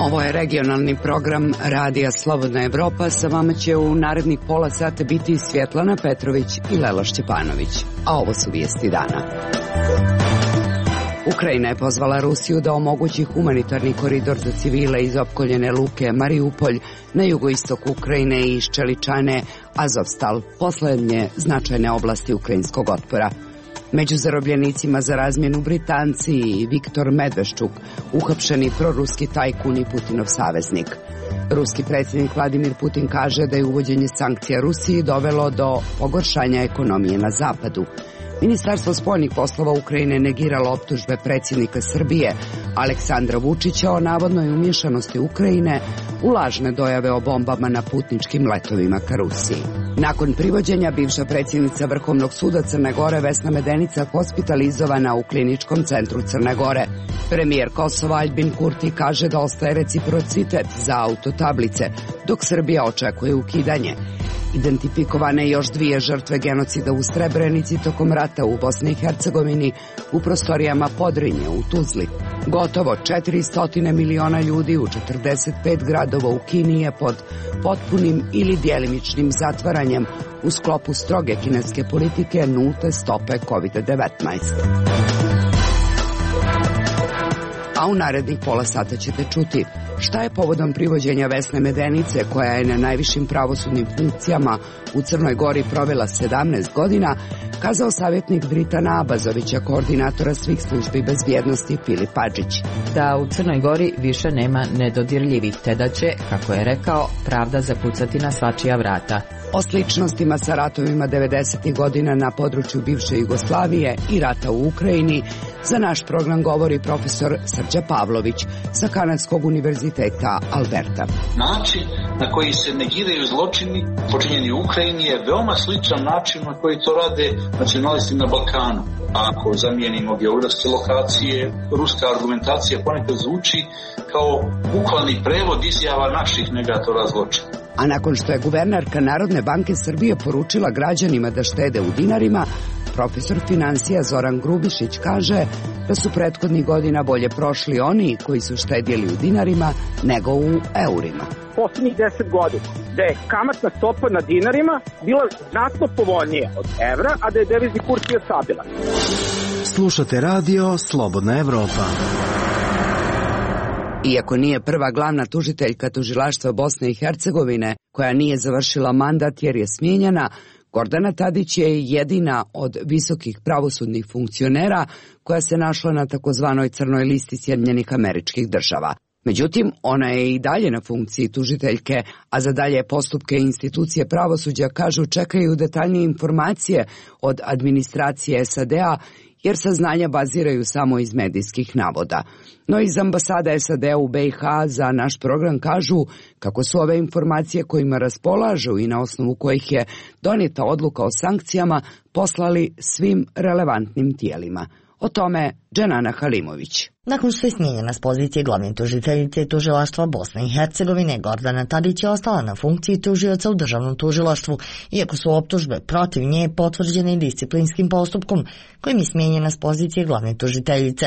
Ovo je regionalni program Radija Slobodna Evropa. Sa vama će u narednih pola sata biti Svjetlana Petrović i Lela Šćepanović. A ovo su vijesti dana. Ukrajina je pozvala Rusiju da omogući humanitarni koridor za civile iz opkoljene luke Mariupolj na jugoistoku Ukrajine i iz Čeličane, Azovstal, poslednje značajne oblasti ukrajinskog otpora. Među zarobljenicima za razmjenu Britanci i Viktor Medveščuk, uhapšeni proruski tajkun i Putinov saveznik. Ruski predsjednik Vladimir Putin kaže da je uvođenje sankcija Rusiji dovelo do pogoršanja ekonomije na zapadu. Ministarstvo spoljnih poslova Ukrajine negiralo optužbe predsjednika Srbije Aleksandra Vučića o navodnoj umješanosti Ukrajine u lažne dojave o bombama na putničkim letovima ka Rusiji. Nakon privođenja, bivša predsjednica Vrhovnog suda Crne Gore Vesna Medenica hospitalizovana u kliničkom centru Crne Gore. Premijer Kosova Aljbin Kurti kaže da ostaje reciprocitet za autotablice, dok Srbija očekuje ukidanje. Identifikovane još 2 žrtve genocida u Srebrenici tokom rata u Bosni i Hercegovini u prostorijama Podrinje u Tuzli. Gotovo 400 miliona ljudi u 45 gradova u Kini je pod potpunim ili djelimičnim zatvaranjem u sklopu stroge kineske politike nulte stope COVID-19. A u narednih pola sata ćete čuti šta je povodom privođenja Vesne Medenice, koja je na najvišim pravosudnim funkcijama u Crnoj Gori provela 17 godina, kazao savjetnik Dritana Abazovića, koordinatora svih službi bezbjednosti Filip Adžić. Da u Crnoj Gori više nema nedodirljivih, te da će, kako je rekao, pravda zakucati na svačija vrata. O sličnostima sa ratovima 90. godina na području bivše Jugoslavije i rata u Ukrajini za naš program govori profesor Srđa Pavlović sa Kanadskog univerziteta Alberta. Način na koji se negiraju zločini počinjeni u Ukrajini je veoma sličan način na koji to rade nacionalisti na Balkanu. Ako zamijenimo geografske lokacije, ruska argumentacija ponekad zvuči kao bukvalni prevod izjava naših negatora zločina. A nakon što je guvernerka Narodne banke Srbije poručila građanima da štede u dinarima, profesor finansija Zoran Grubišić kaže da su prethodnih godina bolje prošli oni koji su štedjeli u dinarima nego u eurima. Posljednjih 10 godina da je kamatna stopa na dinarima bila znatno povoljnija od evra, a da je devizni kurs bio stabilan. Slušate radio Slobodna Evropa. Iako nije prva glavna tužiteljka tužilaštva Bosne i Hercegovine koja nije završila mandat jer je smijenjena, Gordana Tadić je jedina od visokih pravosudnih funkcionera koja se našla na takozvanoj crnoj listi Sjedinjenih Američkih Država. Međutim, ona je i dalje na funkciji tužiteljke, a za dalje postupke institucije pravosuđa, kažu, čekaju detaljnije informacije od administracije SAD-a, jer saznanja baziraju samo iz medijskih navoda. No iz ambasada SAD-a u BiH za naš program kažu kako su ove informacije kojima raspolažu i na osnovu kojih je donijeta odluka o sankcijama poslali svim relevantnim tijelima. O tome Dženana Halimović. Nakon što je smijenjena s pozicije glavne tužiteljice tužilaštva Bosne i Hercegovine, Gordana Tadić je ostala na funkciji tužioca u državnom tužilaštvu, iako su optužbe protiv nje potvrđene disciplinskim postupkom kojim je smijenjena s pozicije glavne tužiteljice.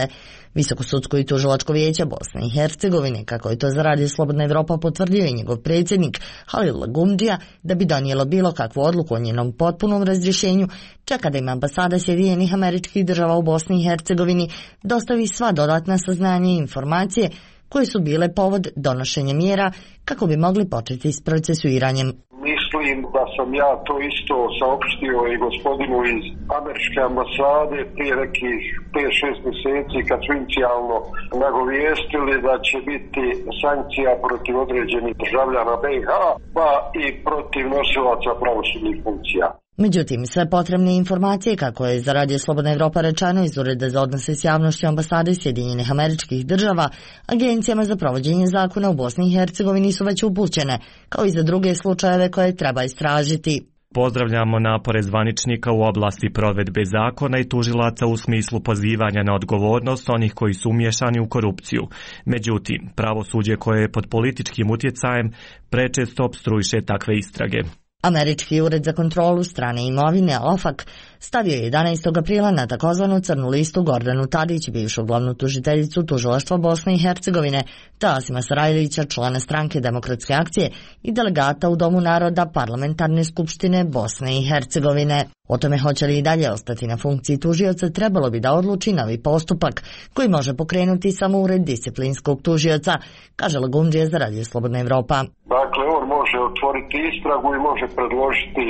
Visokosudsko i tužilačko vijeće Bosne i Hercegovine, kako je to za Radio Slobodna Evropa potvrdio i njegov predsjednik Halil Lagumdžija, da bi donijelo bilo kakvu odluku o njenom potpunom razrješenju, čeka da im ambasada Sjedinjenih Američkih Država u Bosni i Hercegovini dostavi sva dodatna saznanja i informacije koje su bile povod donošenja mjera kako bi mogli početi s procesuiranjem. Mislim da sam ja to isto saopštio i gospodinu iz američke ambasade prije nekih 5-6 mjeseci kad su inicijalno nagovijestili da će biti sankcija protiv određenih državljana BiH pa i protiv nosilaca pravosudnih funkcija. Međutim, sve potrebne informacije, kako je za Radio Slobodna Evropa rečeno iz Ureda za odnose s javnošću ambasade Sjedinjenih Američkih Država, agencijama za provođenje zakona u Bosni i Hercegovini su već upućene, kao i za druge slučajeve koje treba istražiti. Pozdravljamo napore zvaničnika u oblasti provedbe zakona i tužilaca u smislu pozivanja na odgovornost onih koji su umiješani u korupciju. Međutim, pravosuđe koje je pod političkim utjecajem prečesto opstruiše takve istrage. Američki ured za kontrolu strane imovine, OFAC, stavio je 11. aprila na takozvanu crnu listu Gordanu Tadić, bivšu glavnu tužiteljicu tužilaštva Bosne i Hercegovine, te Asima Sarajlića, člana stranke Demokratske akcije i delegata u Domu naroda Parlamentarne skupštine Bosne i Hercegovine. O tome hoće li i dalje ostati na funkciji tužioca trebalo bi da odluči novi postupak koji može pokrenuti samo ured disciplinskog tužioca, kaže Lagundžija za Radio Slobodna Evropa. Dakle, on može otvoriti istragu i može predložiti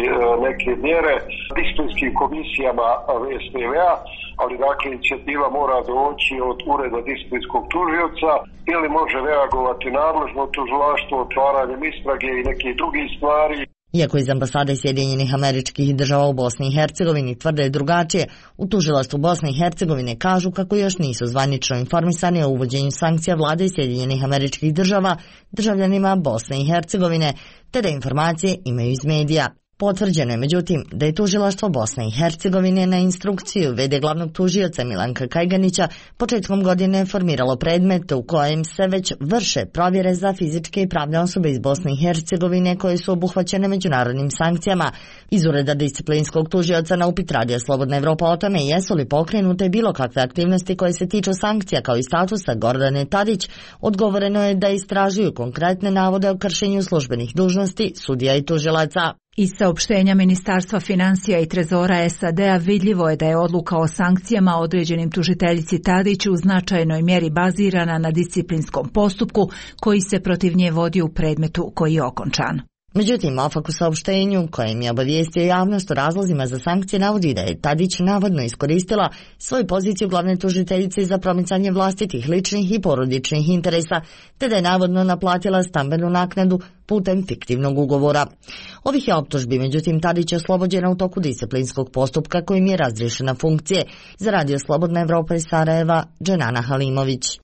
neke mjere disciplinskim komisijama VSTV-a, ali dakle inicijativa mora doći od ureda disciplinskog tužioca ili može reagovati nadležno tužilaštvo otvaranjem istrage i nekih drugih stvari. Iako iz ambasade Sjedinjenih Američkih Država u Bosni i Hercegovini tvrde drugačije, u tužilaštvu Bosne i Hercegovine kažu kako još nisu zvanično informisani o uvođenju sankcija vlade Sjedinjenih Američkih Država državljanima Bosne i Hercegovine, te da informacije imaju iz medija. Potvrđeno je međutim da je tužilaštvo Bosne i Hercegovine na instrukciju v.d. glavnog tužioca Milanka Kajganića početkom godine formiralo predmet u kojem se već vrše provjere za fizičke i pravne osobe iz Bosne i Hercegovine koje su obuhvaćene međunarodnim sankcijama. Iz ureda disciplinskog tužioca na upit Radio Slobodna Evropa o tome jesu li pokrenute bilo kakve aktivnosti koje se tiču sankcija kao i statusa Gordane Tadić, odgovoreno je da istražuju konkretne navode o kršenju službenih dužnosti sudija i tužilaca. Iz saopštenja Ministarstva financija i trezora SAD-a vidljivo je da je odluka o sankcijama određenim tužiteljici Tadić u značajnoj mjeri bazirana na disciplinskom postupku koji se protiv nje vodi u predmetu koji je okončan. Međutim, OFAC u saopštenju kojim je obavijestio javnost o razlozima za sankcije navodi da je Tadić navodno iskoristila svoju poziciju glavne tužiteljice za promicanje vlastitih ličnih i porodičnih interesa, te da je navodno naplatila stambenu naknadu putem fiktivnog ugovora. Ovih je optužbi, međutim, Tadić je oslobođena u toku disciplinskog postupka kojim je razriješena funkcije. Za Radio Slobodna Evropa iz Sarajeva, Dženana Halimović.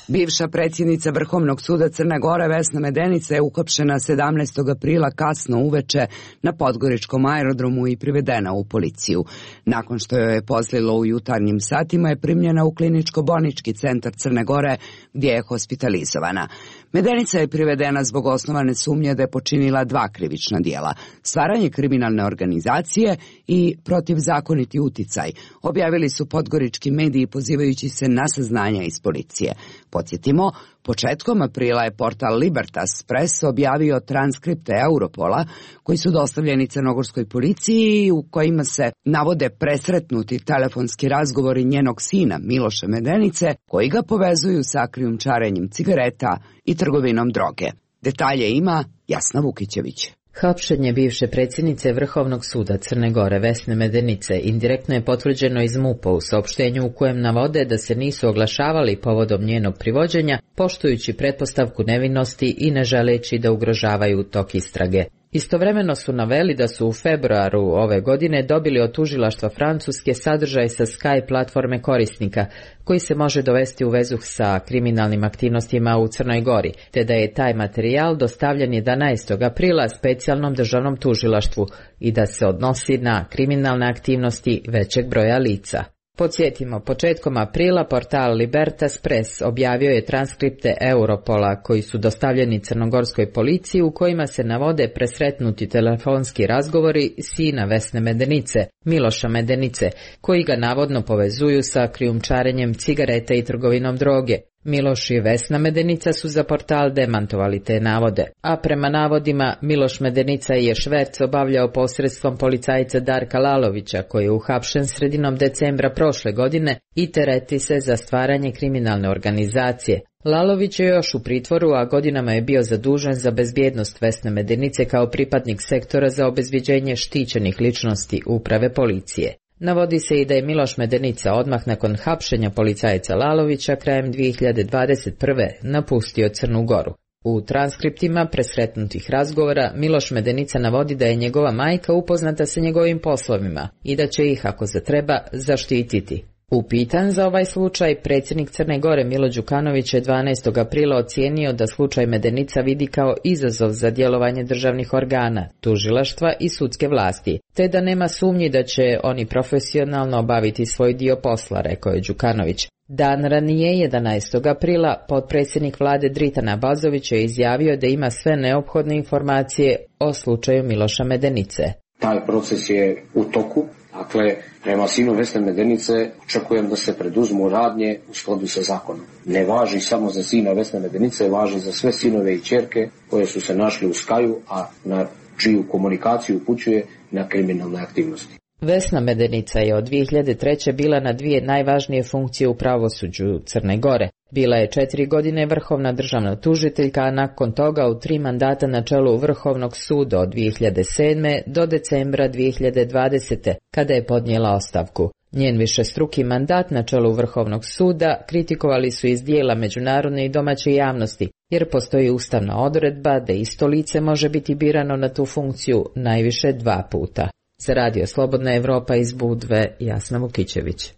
Bivša predsjednica Vrhovnog suda Crne Gore Vesna Medenica je uhapšena 17. aprila kasno uveče na Podgoričkom aerodromu i privedena u policiju. Nakon što joj je pozlilo u jutarnjim satima je primljena u kliničko-bolnički centar Crne Gore gdje je hospitalizovana. Medenica je privedena zbog osnovane sumnje da je počinila 2 krivična djela: stvaranje kriminalne organizacije i protivzakoniti uticaj, objavili su podgorički mediji pozivajući se na saznanja iz policije. Podsjetimo, početkom aprila je portal Libertas Press objavio transkripte Europola koji su dostavljeni crnogorskoj policiji u kojima se navode presretnuti telefonski razgovori njenog sina Miloša Medenice koji ga povezuju sa krijumčarenjem cigareta i trgovinom droge. Detalje ima Jasna Vukićević. Hapšenje bivše predsjednice Vrhovnog suda Crne Gore Vesne Medenice indirektno je potvrđeno iz MUP-a u saopštenju u kojem navode da se nisu oglašavali povodom njenog privođenja, poštujući pretpostavku nevinosti i ne želeći da ugrožavaju tok istrage. Istovremeno su naveli da su u februaru ove godine dobili od tužilaštva Francuske sadržaj sa Skype platforme korisnika, koji se može dovesti u vezu sa kriminalnim aktivnostima u Crnoj Gori, te da je taj materijal dostavljen 11. aprila specijalnom državnom tužilaštvu i da se odnosi na kriminalne aktivnosti većeg broja lica. Podsjetimo, početkom aprila portal Libertas Press objavio je transkripte Europola koji su dostavljeni crnogorskoj policiji u kojima se navode presretnuti telefonski razgovori sina Vesne Medenice, Miloša Medenice, koji ga navodno povezuju sa krijumčarenjem cigareta i trgovinom droge. Miloš i Vesna Medenica su za portal demantovali te navode, a prema navodima Miloš Medenica je šverc obavljao posredstvom policajca Darka Lalovića, koji je uhapšen sredinom decembra prošle godine i tereti se za stvaranje kriminalne organizacije. Lalović je još u pritvoru, a godinama je bio zadužen za bezbjednost Vesne Medenice kao pripadnik sektora za obezbjeđenje štićenih ličnosti uprave policije. Navodi se i da je Miloš Medenica odmah nakon hapšenja policajca Lalovića krajem 2021. napustio Crnu Goru. U transkriptima presretnutih razgovora Miloš Medenica navodi da je njegova majka upoznata sa njegovim poslovima i da će ih, ako se treba, zaštititi. Upitan za ovaj slučaj, predsjednik Crne Gore Milo Đukanović je 12. aprila ocijenio da slučaj Medenica vidi kao izazov za djelovanje državnih organa, tužilaštva i sudske vlasti, te da nema sumnji da će oni profesionalno obaviti svoj dio posla, rekao je Đukanović. Dan ranije, 11. aprila, potpredsjednik vlade Dritan Abazović je izjavio da ima sve neophodne informacije o slučaju Miloša Medenice. Taj proces je u toku. Dakle, prema sinu Vesne Medenice očekujem da se preduzmu radnje u skladu sa zakonom. Ne važi samo za sina Vesne Medenice, važi za sve sinove i ćerke koje su se našli u Skaju, a na čiju komunikaciju upućuje na kriminalne aktivnosti. Vesna Medenica je od 2003. bila na 2 najvažnije funkcije u pravosuđu Crne Gore. Bila je 4 godine vrhovna državna tužiteljka, a nakon toga u 3 mandata na čelu Vrhovnog suda od 2007. do decembra 2020. kada je podnijela ostavku. Njen višestruki mandat na čelu Vrhovnog suda kritikovali su iz dijela međunarodne i domaće javnosti, jer postoji ustavna odredba da isto lice može biti birano na tu funkciju najviše 2 puta. Za Radio Slobodna Evropa iz Budve, Jasna Vukićević.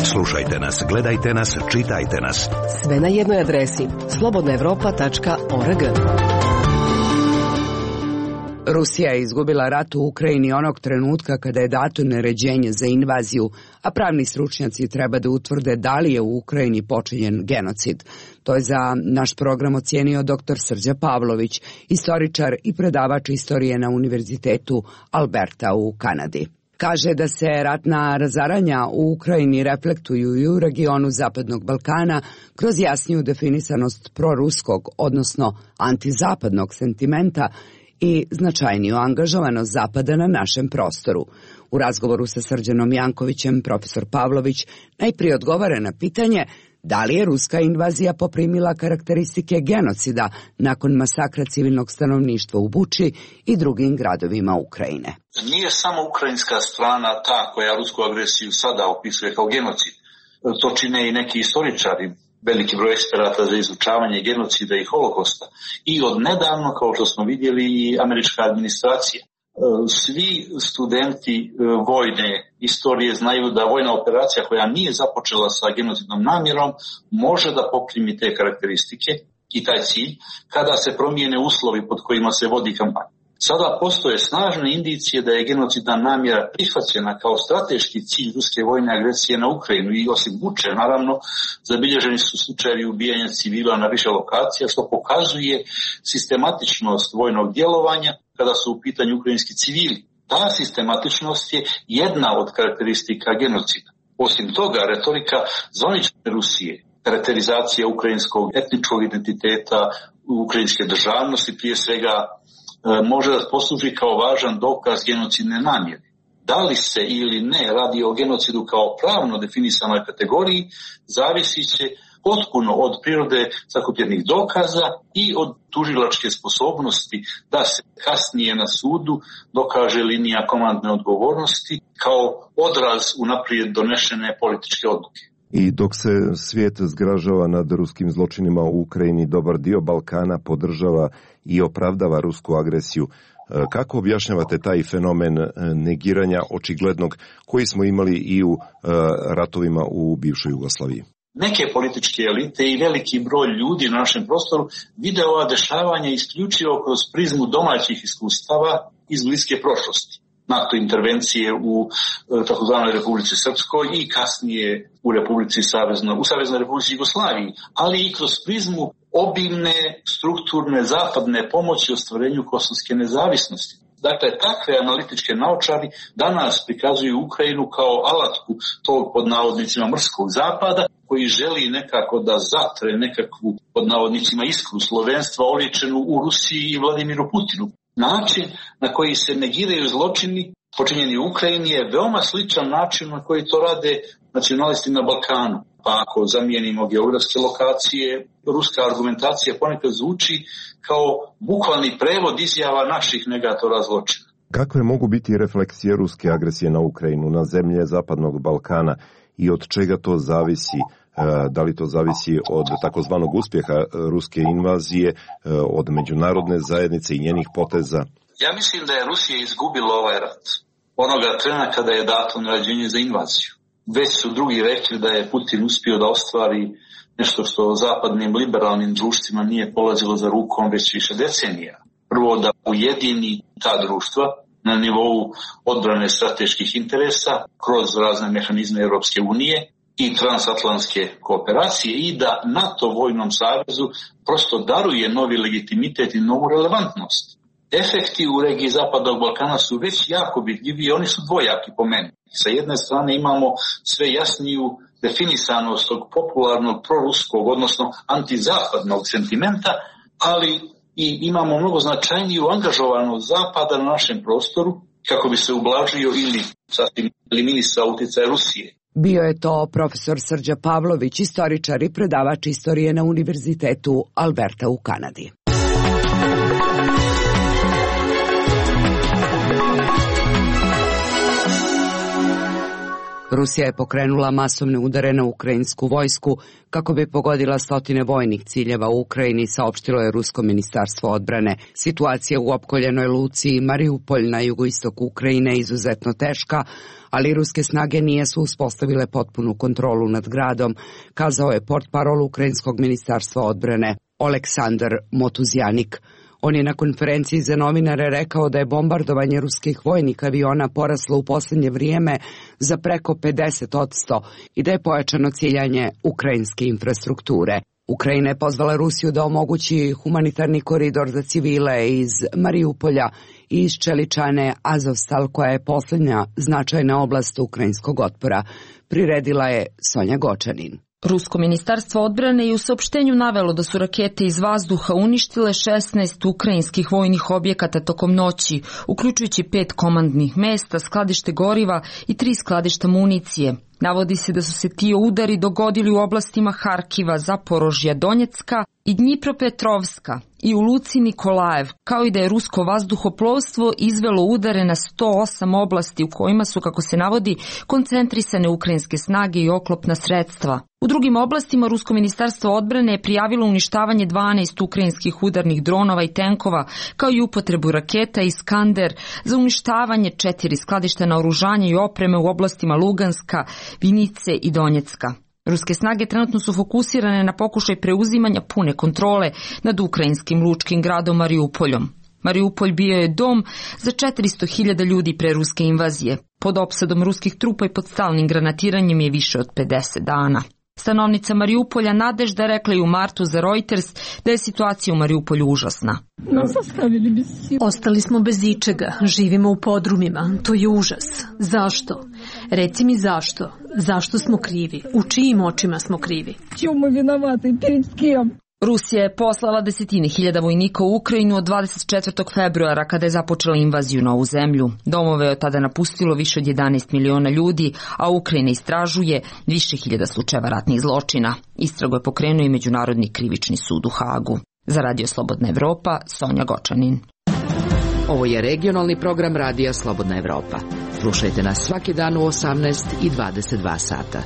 Slušajte nas, gledajte nas, čitajte nas. Sve na jednoj adresi slobodnaevropa.org. Rusija je izgubila rat u Ukrajini onog trenutka kada je dato naređenje za invaziju, a pravni stručnjaci treba da utvrde da li je u Ukrajini počinjen genocid. To je za naš program ocijenio dr. Srđa Pavlović, istoričar i predavač istorije na Univerzitetu Alberta u Kanadi. Kaže da se ratna razaranja u Ukrajini reflektuju i u regionu Zapadnog Balkana kroz jasniju definisanost proruskog, odnosno antizapadnog sentimenta i značajniju angažovanost Zapada na našem prostoru. U razgovoru sa Srđanom Jankovićem, profesor Pavlović najprije odgovara na pitanje da li je ruska invazija poprimila karakteristike genocida nakon masakra civilnog stanovništva u Buči i drugim gradovima Ukrajine. Nije samo ukrajinska strana ta koja rusku agresiju sada opisuje kao genocid. To čine i neki istoričari, veliki broj eksperata za izučavanje genocida i holokosta. I od nedavno, kao što smo vidjeli, i američka administracija. Svi studenti vojne istorije znaju da vojna operacija koja nije započela sa genocidnom namjerom može da poprimi te karakteristike i taj cilj kada se promijene uslovi pod kojima se vodi kampanja. Sada postoje snažne indicije da je genocidna namjera prihvaćena kao strateški cilj ruske vojne agresije na Ukrajinu i osim Buče, naravno, zabilježeni su slučajevi ubijanja civila na više lokacija, što pokazuje sistematičnost vojnog djelovanja kada su u pitanju ukrajinski civili. Ta sistematičnost je jedna od karakteristika genocida. Osim toga, retorika zvanične Rusije, karakterizacija ukrajinskog etničkog identiteta, ukrajinske državnosti, prije svega, može da posluži kao važan dokaz genocidne namjere. Da li se ili ne radi o genocidu kao pravno definisanoj kategoriji, zavisi će potpuno od prirode sakupljenih dokaza i od tužilačke sposobnosti da se kasnije na sudu dokaže linija komandne odgovornosti kao odraz unaprijed donešene političke odluke. I dok se svijet zgražava nad ruskim zločinima u Ukrajini, dobar dio Balkana podržava i opravdava rusku agresiju. Kako objašnjavate taj fenomen negiranja očiglednog koji smo imali i u ratovima u bivšoj Jugoslaviji? Neke političke elite i veliki broj ljudi na našem prostoru vide ova dešavanja isključivo kroz prizmu domaćih iskustava iz bliske prošlosti. NATO intervencije u takozvanoj Republici Srpskoj i kasnije u Saveznoj Republici Jugoslaviji, ali i kroz prizmu obimne strukturne zapadne pomoći ostvarenju kosovske nezavisnosti. Dakle, takve analitičke naočari danas prikazuju Ukrajinu kao alatku tog pod navodnicima mrskog zapada koji želi nekako da zatre nekakvu pod navodnicima iskru slovenstva oličenu u Rusiji i Vladimiru Putinu. Način na koji se negiraju zločini počinjeni u Ukrajini je veoma sličan način na koji to rade nacionalisti na Balkanu. Pa ako zamijenimo geografske lokacije, ruska argumentacija ponekad zvuči kao bukvalni prevod izjava naših negatora zločina. Kakve mogu biti refleksije ruske agresije na Ukrajinu, na zemlje Zapadnog Balkana i od čega to zavisi? Da li to zavisi od takozvanog uspjeha ruske invazije, od međunarodne zajednice i njenih poteza? Ja mislim da je Rusija izgubila ovaj rat. Onoga trena kada je dato naređenje za invaziju. Već su drugi rekli da je Putin uspio da ostvari nešto što zapadnim liberalnim društvima nije polazilo za rukom već više decenija. Prvo da ujedini ta društva na nivou odbrane strateških interesa kroz razne mehanizme Europske unije i transatlantske kooperacije i da NATO vojnom savezu prosto daruje novi legitimitet i novu relevantnost. Efekti u regiji Zapadnog Balkana su već jako vidljivi i oni su dvojaki po meni. Sa jedne strane imamo sve jasniju definisanost tog popularnog proruskog, odnosno antizapadnog sentimenta, ali i imamo mnogo značajniju angažovanost Zapada na našem prostoru kako bi se ublažio ili sasvim eliminisao uticaj Rusije. Bio je to profesor Srđa Pavlović, istoričar i predavač istorije na Univerzitetu Alberta u Kanadi. Rusija je pokrenula masovne udare na ukrajinsku vojsku kako bi pogodila stotine vojnih ciljeva u Ukrajini, saopštilo je Rusko ministarstvo odbrane. Situacija u opkoljenoj luci Mariupolj na jugoistoku Ukrajine je izuzetno teška, ali ruske snage nisu uspostavile potpunu kontrolu nad gradom, kazao je portparol ukrajinskog ministarstva odbrane Oleksandar Motuzjanik. On je na konferenciji za novinare rekao da je bombardovanje ruskih vojnih aviona poraslo u posljednje vrijeme za preko 50% i da je pojačano ciljanje ukrajinske infrastrukture. Ukrajina je pozvala Rusiju da omogući humanitarni koridor za civile iz Mariupolja i iz Čeličane Azovstal, koja je posljednja značajna oblast ukrajinskog otpora. Priredila je Sonja Gočanin. Rusko ministarstvo odbrane je u saopštenju navelo da su rakete iz vazduha uništile 16 ukrajinskih vojnih objekata tokom noći, uključujući 5 komandnih mesta, skladište goriva i 3 skladišta municije. Navodi se da su se ti udari dogodili u oblastima Harkiva, Zaporožja, Donjecka i Dnjipropetrovska i u luci Nikolajev, kao i da je rusko vazduhoplovstvo izvelo udare na 108 oblasti u kojima su, kako se navodi, koncentrisane ukrajinske snage i oklopna sredstva. U drugim oblastima Rusko ministarstvo odbrane je prijavilo uništavanje 12 ukrajinskih udarnih dronova i tenkova, kao i upotrebu raketa Iskander za uništavanje 4 skladišta naoružanja i opreme u oblastima Luganska, Vinice i Donjecka. Ruske snage trenutno su fokusirane na pokušaj preuzimanja pune kontrole nad ukrajinskim lučkim gradom Mariupoljom. Mariupolj bio je dom za 400.000 ljudi pre ruske invazije. Pod opsadom ruskih trupa i pod stalnim granatiranjem je više od 50 dana. Stanovnica Mariupolja Nadežda rekla je u martu za Reuters da je situacija u Mariupolju užasna. Ostali smo bez ičega, živimo u podrumima, to je užas. Zašto? Reci mi zašto? Zašto smo krivi? U čijim očima smo krivi? Rusija je poslala 10.000 vojnika u Ukrajinu od 24. februara kada je započela invaziju na ovu zemlju. Domove je od tada napustilo više od 11 miliona ljudi, a Ukrajina istražuje više hiljada slučajeva ratnih zločina. Istragu je pokrenuo i Međunarodni krivični sud u Hagu. Za Radio Slobodna Evropa, Sonja Gočanin. Ovo je regionalni program Radija Slobodna Evropa. Slušajte nas svaki dan u 18 i 22 sata.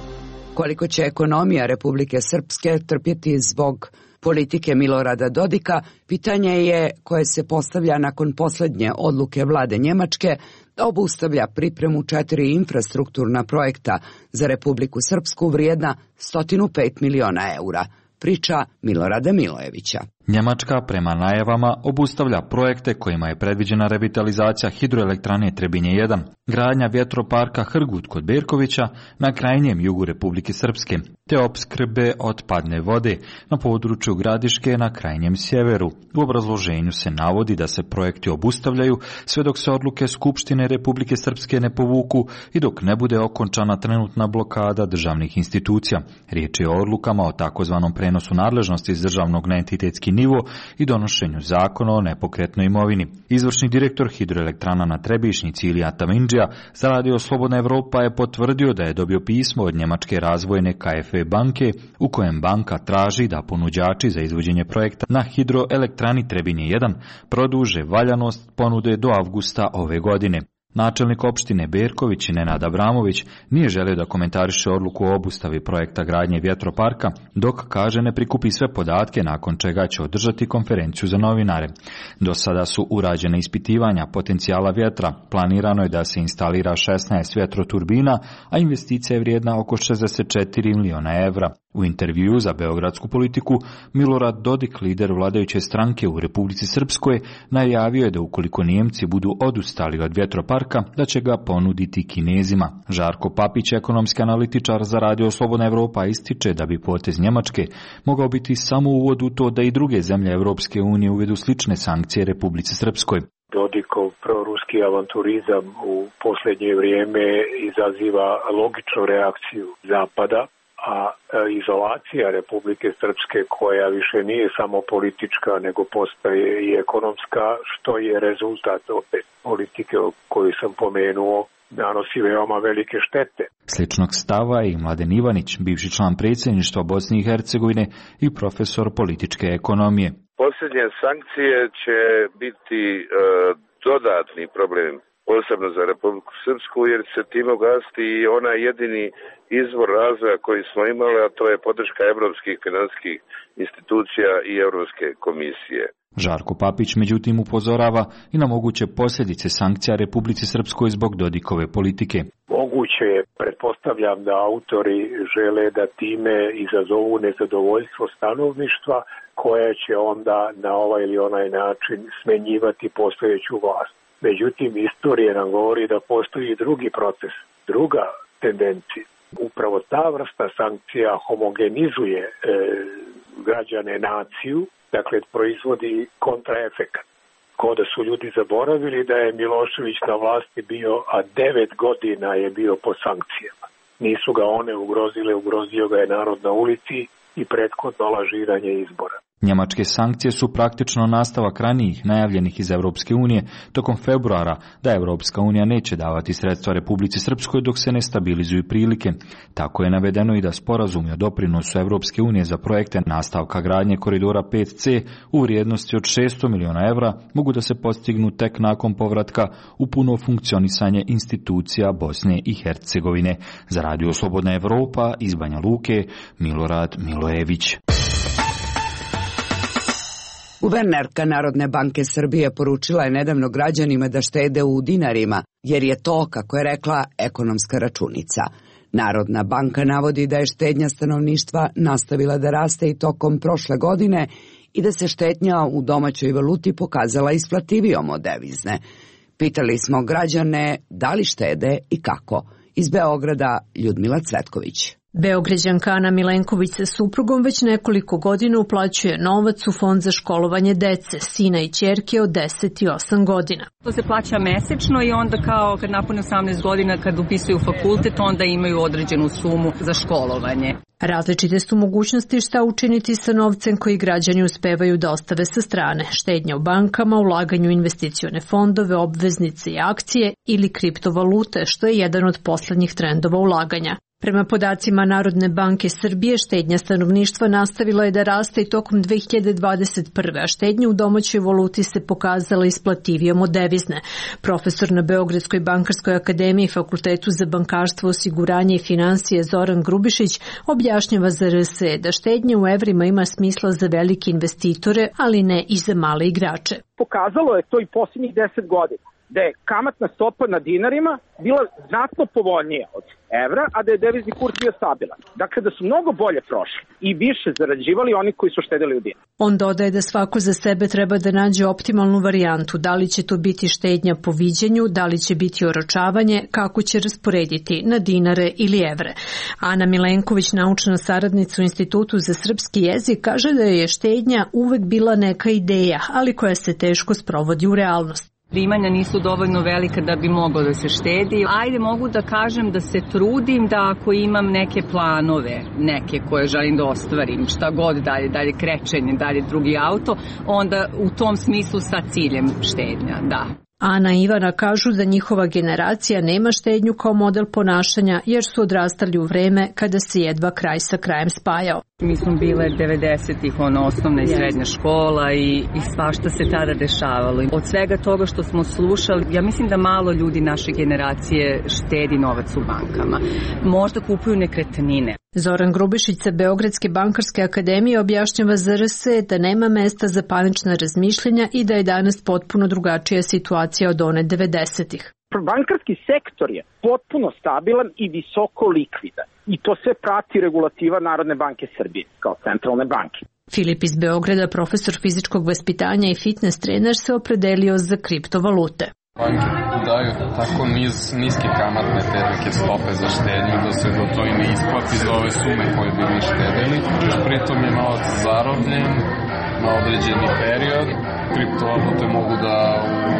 Koliko će ekonomija Republike Srpske trpjeti zbog politike Milorada Dodika, pitanje je koje se postavlja nakon posljednje odluke vlade Njemačke da obustavlja pripremu 4 infrastrukturna projekta za Republiku Srpsku vrijedna 105 miliona eura. Priča Milorada Milojevića. Njemačka prema najavama obustavlja projekte kojima je predviđena revitalizacija hidroelektrane Trebinje 1, gradnja vjetroparka Hrgut kod Berkovića na krajnjem jugu Republike Srpske, te opskrbe otpadne vode na području Gradiške na krajnjem sjeveru. U obrazloženju se navodi da se projekti obustavljaju sve dok se odluke Skupštine Republike Srpske ne povuku i dok ne bude okončana trenutna blokada državnih institucija. Riječ je o odlukama o takozvanom prenosu nadležnosti iz državnog na entitetski nivo i donošenju zakona o nepokretnoj imovini. Izvršni direktor hidroelektrana na Trebišnjici Ilija Tamindžija za Radio Slobodna Evropa je potvrdio da je dobio pismo od njemačke razvojne KfW banke u kojem banka traži da ponuđači za izvođenje projekta na hidroelektrani Trebinje 1 produže valjanost ponude do avgusta ove godine. Načelnik opštine Berković Nenad Abramović nije želio da komentariše odluku o obustavi projekta gradnje vjetroparka, dok kaže ne prikupi sve podatke, nakon čega će održati konferenciju za novinare. Do sada su urađene ispitivanja potencijala vjetra, planirano je da se instalira 16 vjetroturbina, a investicija je vrijedna oko 64 miliona evra. U intervjuu za Beogradsku politiku, Milorad Dodik, lider vladajuće stranke u Republici Srpskoj, najavio je da ukoliko Nijemci budu odustali od vjetroparka, da će ga ponuditi Kinezima. Žarko Papić, ekonomski analitičar za Radio Slobodna Evropa, ističe da bi potez Njemačke mogao biti samo uvod u to da i druge zemlje Evropske unije uvedu slične sankcije Republici Srpskoj. Dodikov proruski avanturizam u posljednje vrijeme izaziva logičnu reakciju Zapada, a izolacija Republike Srpske, koja više nije samo politička, nego postaje i ekonomska, što je rezultat opet politike koju sam pomenuo, nanosi veoma velike štete. Sličnog stava i Mladen Ivanić, bivši član predsjedništva Bosne i Hercegovine i profesor političke ekonomije. Posljednje sankcije će biti dodatni problem, posebno za Republiku Srpsku, jer se tim ugasiti i onaj jedini izvor razvoja koji smo imali, a to je podrška evropskih finansijskih institucija i Europske komisije. Žarko Papić međutim upozorava i na moguće posljedice sankcija Republici Srpskoj zbog Dodikove politike. Moguće je, pretpostavljam da autori žele da time izazovu nezadovoljstvo stanovništva, koje će onda na ovaj ili onaj način smenjivati postojeću vlast. Međutim, istorija nam govori da postoji i drugi proces, druga tendencija. Upravo ta vrsta sankcija homogenizuje građane, naciju, dakle proizvodi kontraefekat. Ko da su ljudi zaboravili da je Milošević na vlasti bio, a 9 godina je bio pod sankcijama. Nisu ga one ugrozile, ugrozio ga je narod na ulici i prethodno lažiranje izbora. Njemačke sankcije su praktično nastavak ranijih najavljenih iz Europske unije tokom februara da Europska unija neće davati sredstva Republici Srpskoj dok se ne stabilizuju prilike. Tako je navedeno i da sporazumi o doprinosu Europske unije za projekte nastavka gradnje koridora 5C u vrijednosti od 600 miliona evra mogu da se postignu tek nakon povratka u puno funkcionisanje institucija Bosne i Hercegovine. Za Radio Slobodna Evropa iz Banja Luke, Milorad Milojević. Guvernerka Narodne banke Srbije poručila je nedavno građanima da štede u dinarima, jer je to, kako je rekla, ekonomska računica. Narodna banka navodi da je štednja stanovništva nastavila da raste i tokom prošle godine i da se štednja u domaćoj valuti pokazala isplativijom od devizne. Pitali smo građane da li štede i kako. Iz Beograda Ljudmila Cvetković. Beograđanka Ana Milenković sa suprugom već nekoliko godina uplaćuje novac u fond za školovanje dece, sina i ćerke od 10 i 8 godina. To se plaća mesečno i onda kao kad napune 18 godina kad upisuju fakultet, onda imaju određenu sumu za školovanje. Različite su mogućnosti šta učiniti sa novcem koji građani uspevaju da ostave sa strane. Štednja u bankama, ulaganju u investicione fondove, obveznice i akcije ili kriptovalute, što je jedan od poslednjih trendova ulaganja. Prema podacima Narodne banke Srbije, štednja stanovništva nastavila je da raste i tokom 2021. a štednja u domaćoj valuti se pokazala isplativijom od devizne. Profesor na Beogradskoj bankarskoj akademiji i Fakultetu za bankarstvo, osiguranje i finansije Zoran Grubišić objašnjava za RSE da štednja u evrima ima smisla za velike investitore, ali ne i za male igrače. Pokazalo je to i posljednjih 10 godina, da je kamatna stopa na dinarima bila znatno povoljnija od evra, a da je devizni kurs bio stabilan. Dakle, da su mnogo bolje prošli i više zarađivali oni koji su štedili u dinar. On dodaje da svako za sebe treba da nađe optimalnu varijantu, da li će to biti štednja po viđenju, da li će biti oročavanje, kako će rasporediti na dinare ili evre. Ana Milenković, naučna saradnica u Institutu za srpski jezik, kaže da je štednja uvek bila neka ideja, ali koja se teško sprovodi u realnost. Primanja nisu dovoljno velika da bi moglo da se štedi. Ajde, mogu da kažem da se trudim da ako imam neke planove, neke koje želim da ostvarim, šta god dalje krećenje, dalje drugi auto, onda u tom smislu sa ciljem štednja, da. Ana i Ivana kažu da njihova generacija nema štednju kao model ponašanja jer su odrastali u vreme kada se jedva kraj sa krajem spajao. Mi smo bile 90-ih, osnovna i srednja škola i svašta se tada dešavalo. Od svega toga što smo slušali, ja mislim da malo ljudi naše generacije štedi novac u bankama. Možda kupuju nekretnine. Zoran Grubišić sa Beogradske bankarske akademije objašnjava za RSE da nema mesta za panična razmišljenja i da je danas potpuno drugačija situacija od one 90-ih. Bankarski sektor je potpuno stabilan i visoko likvidan. I to sve prati regulativa Narodne banke Srbije kao centralne banke. Filip iz Beograda, profesor fizičkog vaspitanja i fitness trener, se opredelio za kriptovalute. Banke daju tako niske kamatne te neke stope za štednju da se do to i ne isplati za ove sume koje bi mi štedili. Pritom je novac zarobljen na određeni period. Kriptovalute mogu da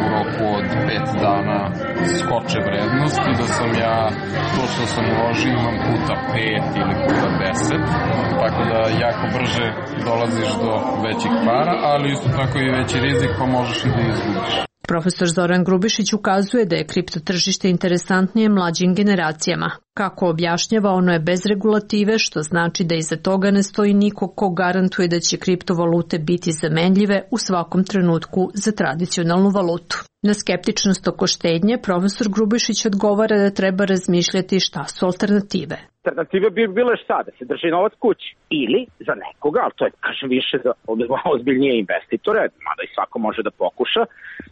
u roku od 5 dana skoče vrednost i da sam ja to što sam uložio imam puta 5 ili puta 10. Tako da jako brže dolaziš do većih para, ali isto tako i veći rizik pa možeš i da izgubiš. Profesor Zoran Grubišić ukazuje da je kriptotržište interesantnije mlađim generacijama. Kako objašnjava, ono je bez regulative, što znači da iza toga ne stoji niko ko garantuje da će kriptovalute biti zamenljive u svakom trenutku za tradicionalnu valutu. Na skeptičnost oko štednje, profesor Grubišić odgovara da treba razmišljati šta su alternative. Alternative bi bile šta? Da se drži novac kući. Ili za nekoga, ali to je, kažem, više za ozbiljnije investitore, mada i svako može da pokuša,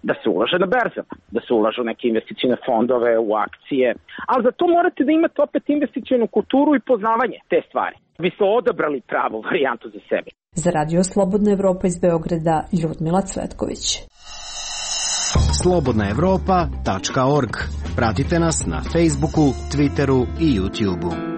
da se ulaže na berzama, da se ulažu neke investicijne fondove, u akcije. Ali za to morate da imate opet investicijnu kulturu i poznavanje te stvari. Vi ste odabrali pravu varijantu za sebe. Za Radio Slobodna Evropa iz Beograda, Ljudmila Cvetković. slobodnaevropa.org. Pratite nas na Facebooku, Twitteru i YouTubeu.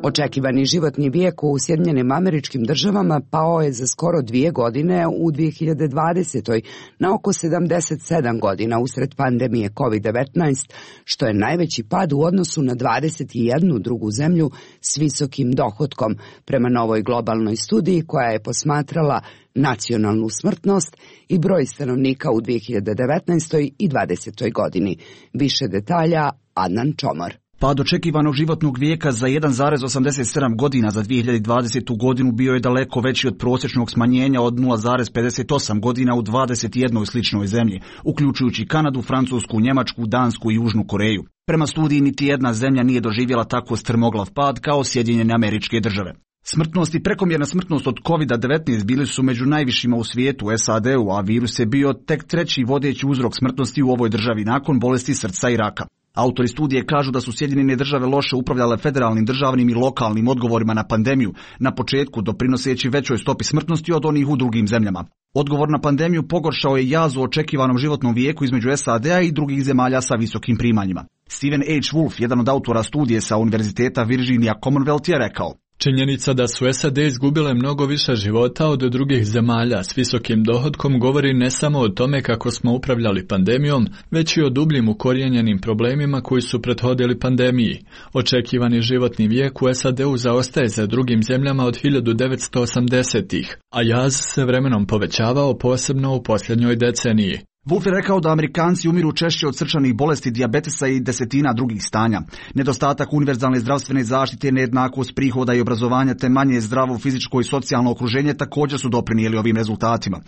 Očekivani životni vijek u Sjedinjenim Američkim Državama pao je za skoro 2 godine u 2020. na oko 77 godina usred pandemije COVID-19, što je najveći pad u odnosu na 21 drugu zemlju s visokim dohotkom, prema novoj globalnoj studiji koja je posmatrala nacionalnu smrtnost i broj stanovnika u 2019. i 2020. godini. Više detalja Adnan Čomor. Pad očekivanog životnog vijeka za 1,87 godina za 2020. godinu bio je daleko veći od prosječnog smanjenja od 0,58 godina u 21 sličnoj zemlji, uključujući Kanadu, Francusku, Njemačku, Dansku i Južnu Koreju. Prema studiji niti jedna zemlja nije doživjela tako strmoglav pad kao Sjedinjene Američke Države. Smrtnost i prekomjerna smrtnost od COVID-19 bili su među najvišima u svijetu, u SAD-u, a virus je bio tek treći vodeći uzrok smrtnosti u ovoj državi nakon bolesti srca i raka. Autori studije kažu da su Sjedinjene Države loše upravljale federalnim, državnim i lokalnim odgovorima na pandemiju, na početku doprinoseći većoj stopi smrtnosti od onih u drugim zemljama. Odgovor na pandemiju pogoršao je jaz u očekivanom životnom vijeku između SAD-a i drugih zemalja sa visokim primanjima. Stephen H. Wolf, jedan od autora studije sa Univerziteta Virginia Commonwealth, je rekao: činjenica da su SAD izgubile mnogo više života od drugih zemalja s visokim dohotkom govori ne samo o tome kako smo upravljali pandemijom, već i o dubljim ukorijenjenim problemima koji su prethodili pandemiji. Očekivani životni vijek u SAD-u zaostaje za drugim zemljama od 1980-ih, a jaz se vremenom povećavao, posebno u posljednjoj deceniji. Wolf je rekao da Amerikanci umiru češće od srčanih bolesti, dijabetesa i desetina drugih stanja. Nedostatak univerzalne zdravstvene zaštite, nejednakost prihoda i obrazovanja te manje zdravo fizičko i socijalno okruženje također su doprinijeli ovim rezultatima.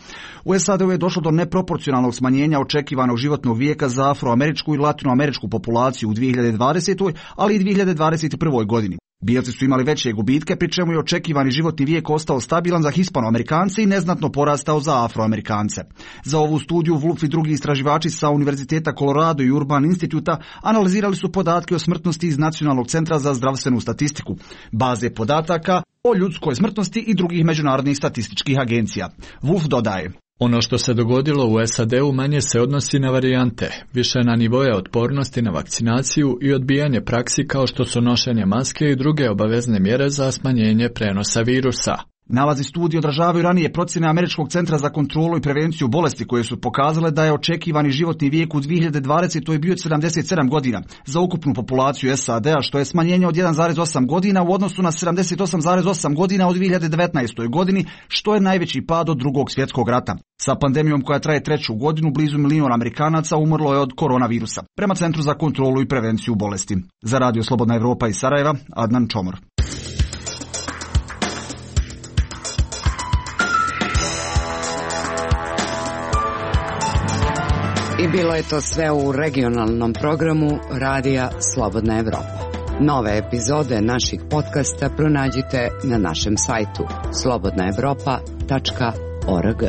U SAD-u je došlo do neproporcionalnog smanjenja očekivanog životnog vijeka za afroameričku i latinoameričku populaciju u 2020. ali i 2021. godini. Bijelci su imali veće gubitke, pri čemu je očekivani životni vijek ostao stabilan za Hispanoamerikance i neznatno porastao za Afroamerikance. Za ovu studiju Wolf i drugi istraživači sa Univerziteta Colorado i Urban Instituta analizirali su podatke o smrtnosti iz Nacionalnog centra za zdravstvenu statistiku, baze podataka o ljudskoj smrtnosti i drugih međunarodnih statističkih agencija. Wolf dodaje: ono što se dogodilo u SAD-u manje se odnosi na varijante, više na nivoje otpornosti na vakcinaciju i odbijanje praksi kao što su nošenje maske i druge obavezne mjere za smanjenje prenosa virusa. Nalazi studije odražavaju ranije procjene Američkog centra za kontrolu i prevenciju bolesti koje su pokazale da je očekivani životni vijek u 2020. bio 77 godina za ukupnu populaciju SAD-a, što je smanjenje od 1,8 godina u odnosu na 78,8 godina u 2019. godini, što je najveći pad od Drugog svjetskog rata. Sa pandemijom koja traje 3. godinu, blizu 1 milijun Amerikanaca umrlo je od koronavirusa, prema Centru za kontrolu i prevenciju bolesti. Za Radio Slobodna Evropa iz Sarajeva, Adnan Čomor. I bilo je to sve u regionalnom programu Radija Slobodna Evropa. Nove epizode naših podcasta pronađite na našem sajtu slobodnaevropa.org.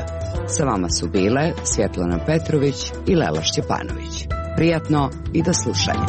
Sa vama su bile Svjetlana Petrović i Lela Šćepanović. Prijatno i do slušanja.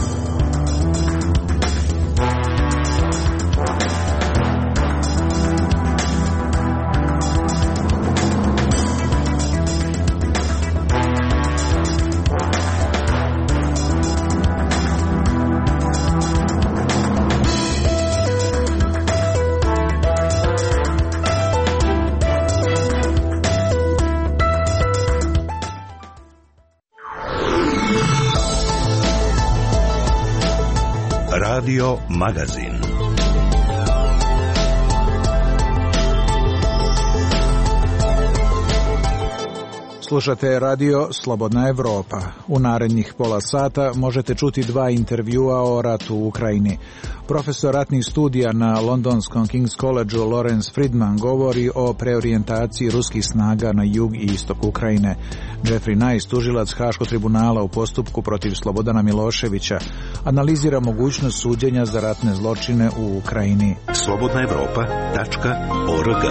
Radio Magazin. Slušate radio Slobodna Evropa. U narednih pola sata možete čuti 2 intervjua o ratu u Ukrajini. Profesor ratnih studija na londonskom King's Collegeu Lawrence Friedman govori o preorijentaciji ruskih snaga na jug i istok Ukrajine. Jeffrey Nice, tužilac Haškog tribunala u postupku protiv Slobodana Miloševića, analizira mogućnost suđenja za ratne zločine u Ukrajini. slobodnaevropa.org.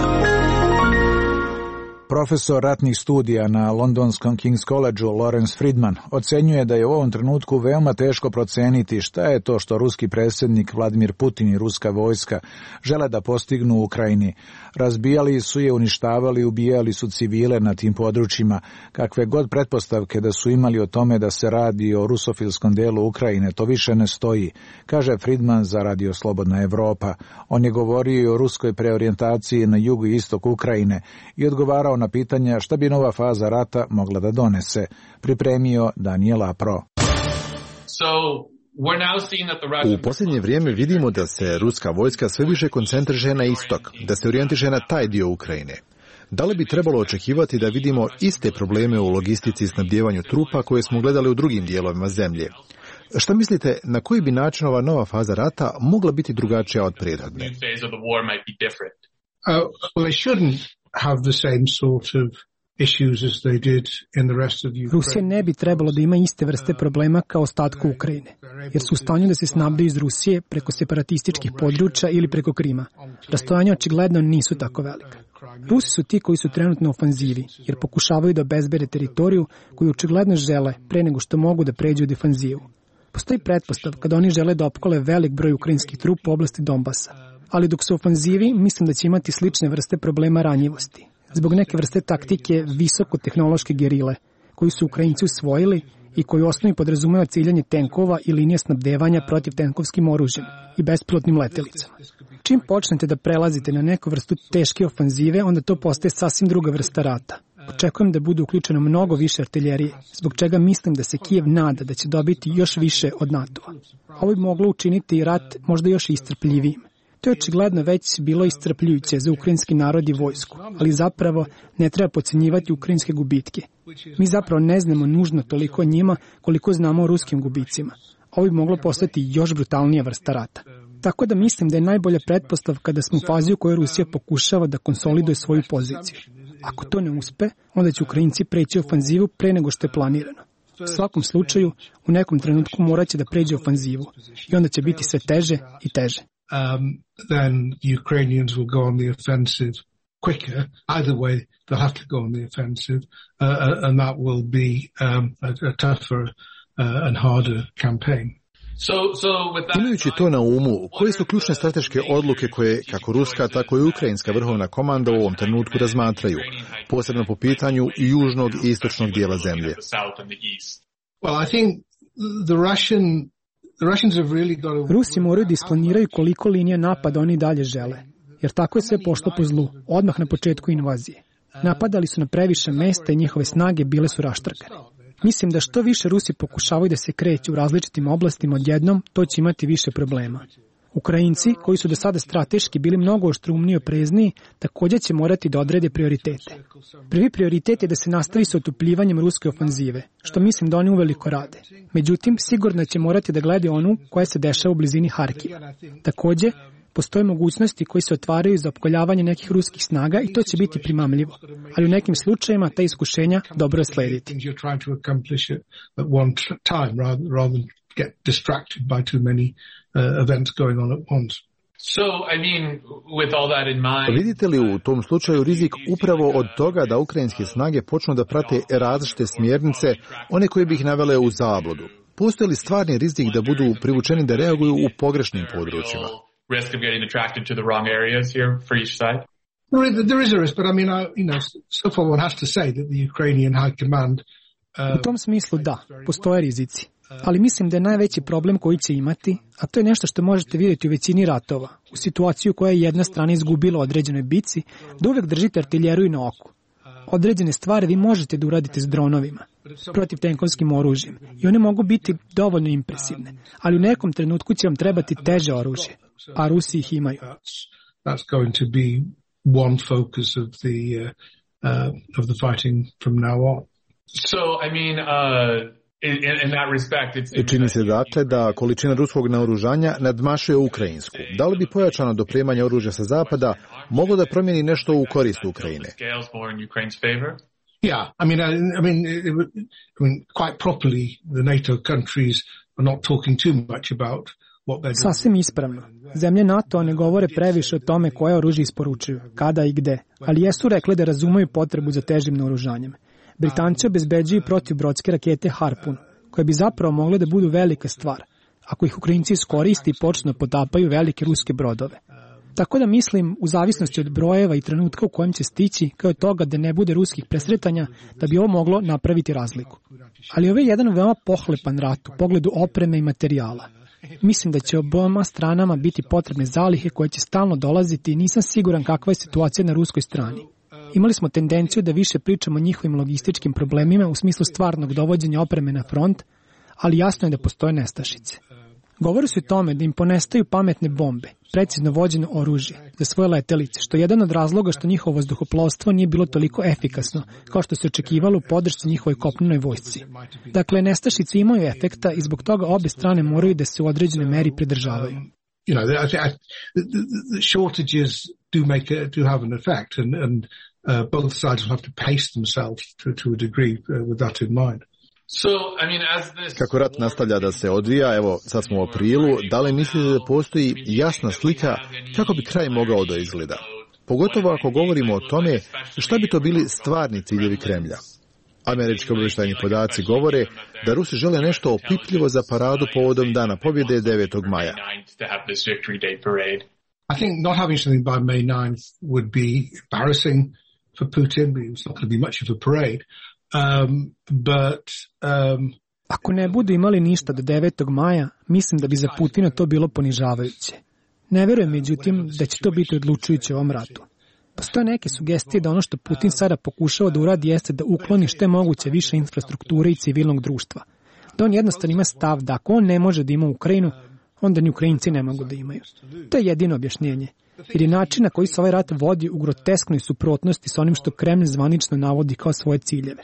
Profesor ratnih studija na londonskom King's Collegeu Lawrence Friedman ocenjuje da je u ovom trenutku veoma teško proceniti šta je to što ruski predsjednik Vladimir Putin i ruska vojska žele da postignu u Ukrajini. Razbijali su je, uništavali, ubijali su civile na tim područjima. Kakve god pretpostavke da su imali o tome da se radi o rusofilskom delu Ukrajine, to više ne stoji, kaže Friedman za Radio Slobodna Evropa. On je govorio i o ruskoj preorijentaciji na jugu i istoku Ukrajine i odgovarao na pitanja šta bi nova faza rata mogla da donese. Pripremio Daniel Apro. U posljednje vrijeme vidimo da se ruska vojska sve više koncentriše na istok, da se orijentiše na taj dio Ukrajine. Da li bi trebalo očekivati da vidimo iste probleme u logistici i snabdijevanju trupa koje smo gledali u drugim dijelovima zemlje? Šta mislite, na koji bi način ova nova faza rata mogla biti drugačija od prethodne? Rusija ne bi trebalo da ima iste vrste problema kao ostatku Ukrajine, jer su u stanju da se snabdaju iz Rusije preko separatističkih područja ili preko Krima. Rastojanja očigledno nisu tako velika. Rusi su ti koji su trenutno u ofanzivi, jer pokušavaju da obezbede teritoriju koju očigledno žele pre nego što mogu da pređu u defanzivu. Postoji pretpostavka da oni žele da opkole velik broj ukrajinskih trupa u oblasti Donbasa, ali dok su u ofanzivi mislim da će imati slične vrste problema ranjivosti. Zbog neke vrste taktike visokotehnološke gerile, koju su Ukrajinci usvojili i koju u osnovi podrazumeva ciljanje tenkova i linije snabdevanja protiv tenkovskim oružjem i bespilotnim letelicama. Čim počnete da prelazite na neku vrstu teške ofanzive, onda to postaje sasvim druga vrsta rata. Očekujem da bude uključeno mnogo više artiljerije, zbog čega mislim da se Kijev nada da će dobiti još više od NATO-a. Ovo bi moglo učiniti rat možda još iscrpljivijim. To je očigledno već bilo iscrpljujuće za ukrajinski narod i vojsku, ali zapravo ne treba podcenjivati ukrajinske gubitke. Mi zapravo ne znamo nužno toliko o njima koliko znamo o ruskim gubicima. Ovo bi moglo postati još brutalnija vrsta rata. Tako da mislim da je najbolja pretpostavka da smo u fazi u kojoj Rusija pokušava da konsoliduje svoju poziciju. Ako to ne uspe, onda će Ukrajinci preći ofanzivu pre nego što je planirano. U svakom slučaju, u nekom trenutku morat će da pređe ofanzivu i onda će biti sve teže i teže. Then the Ukrainians will go on the offensive quicker. Either way, they'll have to go on the offensive, and that will be a tougher and harder campaign. Imajući to na umu, koje su ključne strateške odluke koje kako ruska, tako i ukrajinska vrhovna komanda u ovom trenutku razmatraju, posebno po pitanju južnog i istočnog dijela zemlje? Well, I think the Rusi moraju da isplaniraju koliko linija napada oni dalje žele, jer tako je sve pošlo po zlu, odmah na početku invazije. Napadali su na previše mesta i njihove snage bile su raštrkane. Mislim da što više Rusi pokušavaju da se kreću u različitim oblastima odjednom, to će imati više problema. Ukrajinci, koji su do sada strateški bili mnogo oštrumniji i oprezniji, također će morati da odrede prioritete. Prvi prioritet je da se nastavi sa otupljivanjem ruske ofanzive, što mislim da oni uveliko rade. Međutim, sigurno će morati da gledaju onu koja se dešava u blizini Harkiva. Također, postoje mogućnosti koji se otvaraju za opkoljavanje nekih ruskih snaga i to će biti primamljivo. Ali u nekim slučajevima ta iskušenja dobro je slediti. Vidite li u tom slučaju rizik upravo od toga da ukrajinske snage počnu da prate različite smjernice, one koje bi ih navele u zabludu? postoji li stvarni rizik da budu privučeni da reaguju u pogrešnim područjima? There is a risk, but I mean, so far one has to say that the Ukrainian High Command U tom smislu da, postoje rizici. Ali mislim da je najveći problem koji će imati, a to je nešto što možete vidjeti u većini ratova, u situaciju u kojoj je jedna strana izgubila određenoj bici, da uvek držite artiljeriju na oku. Određene stvari vi možete da uradite s dronovima, protivtenkovskim oružjem, i one mogu biti dovoljno impresivne, ali u nekom trenutku će vam trebati teže oružje, a Rusi ih imaju. That's going to be one focus of the fighting from now on. So, I mean, in that respect, I čini se dakle da količina ruskog naoružanja nadmašuje ukrajinsku. Da li bi pojačano dopremanje oružja sa zapada moglo da promijeni nešto u korist Ukrajine? Yeah, I mean, quite properly, the NATO countries are not talking too much about what they're doing. Sasvim ispravno. Zemlje NATO ne govore previše o tome koje oružje isporučuju, kada i gde, ali jesu rekli da razumeju potrebu za težim naoružanjem. Britanci obezbeđuju protivbrodske rakete Harpoon, koje bi zapravo mogle da budu velika stvar, ako ih Ukrajinci iskoriste i počnu potapaju velike ruske brodove. Tako da mislim, u zavisnosti od brojeva i trenutka u kojem će stići, kao od toga da ne bude ruskih presretanja, da bi ovo moglo napraviti razliku. Ali ovo je jedan veoma pohlepan rat u pogledu opreme i materijala. Mislim da će oboma stranama biti potrebne zalihe koje će stalno dolaziti i nisam siguran kakva je situacija na ruskoj strani. Imali smo tendenciju da više pričamo o njihovim logističkim problemima u smislu stvarnog dovođenja opreme na front, ali jasno je da postoje nestašice. Govori se o tome da im ponestaju pametne bombe, precizno vođeno oružje za svoje letelice, što je jedan od razloga što njihovo vazduhoplovstvo nije bilo toliko efikasno, kao što se očekivalo u podršci njihovoj kopnenoj vojsci. Dakle, nestašice imaju efekta i zbog toga obe strane moraju da se u određenoj meri pridržavaju. You know, the shortages do have an effect, and both sides will have to pace themselves to a degree with that in mind. So, I mean, Kako rat nastavlja da se odvija, evo sad smo u aprilu, da li mislite da postoji jasna slika kako bi kraj mogao da izgleda? Pogotovo ako govorimo o tome šta bi to bili stvarni ciljevi Kremlja. Američki obavještajni podaci govore da Rusi žele nešto opipljivo za paradu povodom Dana pobjede 9. maja. I think not having something by May 9th would be embarrassing for Putin. It's not going to be much of a parade. Ako ne budu imali ništa do 9. maja, mislim da bi za Putina to bilo ponižavajuće. Ne verujem, međutim, da će to biti odlučujuće u ovom ratu. Postoje neke sugestije da ono što Putin sada pokušava da uradi jeste da ukloni što je moguće više infrastrukture i civilnog društva. Da on jednostavno ima stav da ako on ne može da ima Ukrajinu, onda ni Ukrajinci ne mogu da imaju. To je jedino objašnjenje. Jer je način na koji se ovaj rat vodi u grotesknoj suprotnosti sa onim što Kremlj zvanično navodi kao svoje ciljeve.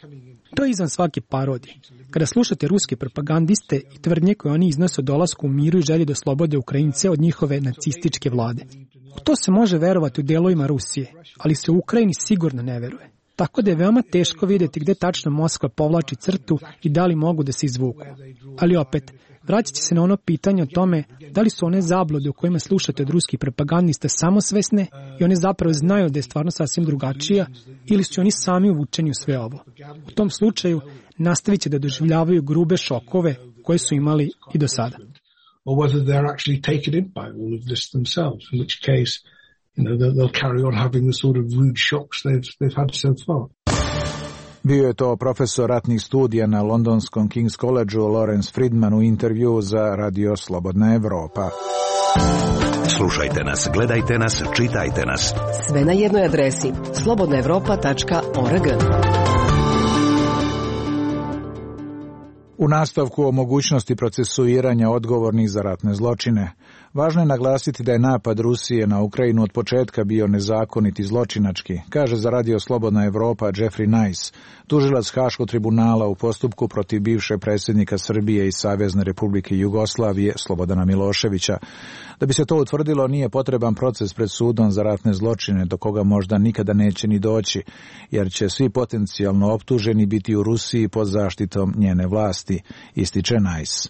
To je izvan svake parodije. Kada slušate ruske propagandiste i tvrdnje koje oni iznose o dolasku u miru i želji da oslobode Ukrajince od njihove nacističke vlade. U to se može verovati u delovima Rusije, ali se u Ukrajini sigurno ne veruje. Tako da je veoma teško vidjeti gde tačno Moskva povlači crtu i da li mogu da se izvuku. Ali opet, vraćat će se na ono pitanje o tome da li su one zablude u kojima slušate od ruskih propagandista samosvesne i one zapravo znaju da je stvarno sasvim drugačija ili su oni sami uvučeni u sve ovo. U tom slučaju nastavit će da doživljavaju grube šokove koje su imali i do sada. Or whether they're actually taken in by all of this themselves, in which case, they'll carry on having the sort of rude shocks they've had so far. Bio je to profesor ratnih studija na londonskom King's Collegeu Lawrence Friedman u intervju za Radio Slobodna Evropa. Slušajte nas, gledajte nas, čitajte nas. Sve na jednoj adresi slobodnaevropa.org. U nastavku o mogućnosti procesuiranja odgovornih za ratne zločine, važno je naglasiti da je napad Rusije na Ukrajinu od početka bio nezakonit i zločinački, kaže za Radio Slobodna Evropa Jeffrey Nice, tužilac Haškog tribunala u postupku protiv bivšeg predsjednika Srbije i Savezne Republike Jugoslavije Slobodana Miloševića. Da bi se to utvrdilo, nije potreban proces pred sudom za ratne zločine, do koga možda nikada neće ni doći, jer će svi potencijalno optuženi biti u Rusiji pod zaštitom njene vlasti, ističe Nice.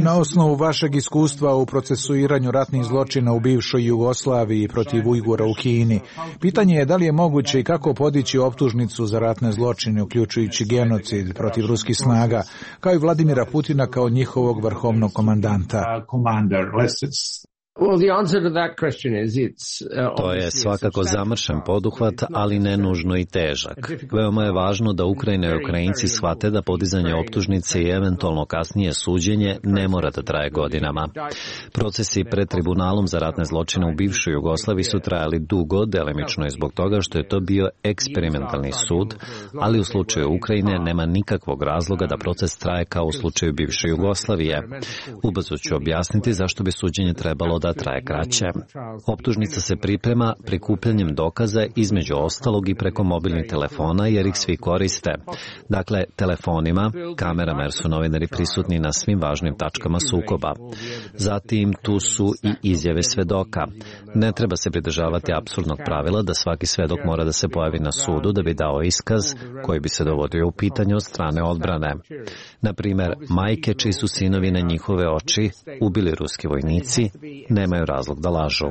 Na osnovu vašeg iskustva u procesuiranju ratnih zločina u bivšoj Jugoslaviji protiv Ujgura u Kini, pitanje je da li je moguće i kako podići optužnicu za ratne zločine, uključujući genocid protiv ruskih snaga, kao i Vladimira Putina kao njihovog vrhovnog komandanta. To je svakako zamršen poduhvat, ali ne nužno i težak. Veoma je važno da Ukrajina i Ukrajinci shvate da podizanje optužnice i eventualno kasnije suđenje ne mora da traje godinama. Procesi pred tribunalom za ratne zločine u bivšoj Jugoslaviji su trajali dugo, delimično i zbog toga što je to bio eksperimentalni sud, ali u slučaju Ukrajine nema nikakvog razloga da proces traje kao u slučaju bivše Jugoslavije. Ubrzo ću objasniti zašto bi suđenje trebalo da traje kraće. Optužnica se priprema prikupljanjem dokaza između ostalog i preko mobilnih telefona jer ih svi koriste. Dakle, telefonima, kamerama jer su novinari prisutni na svim važnim tačkama sukoba. Zatim tu su i izjave svedoka. Ne treba se pridržavati apsurdnog pravila da svaki svedok mora da se pojavi na sudu da bi dao iskaz koji bi se dovodio u pitanje od strane odbrane. Na primjer, majke čiji su sinovi na njihove oči ubili ruski vojnici nemaju razlog da lažu.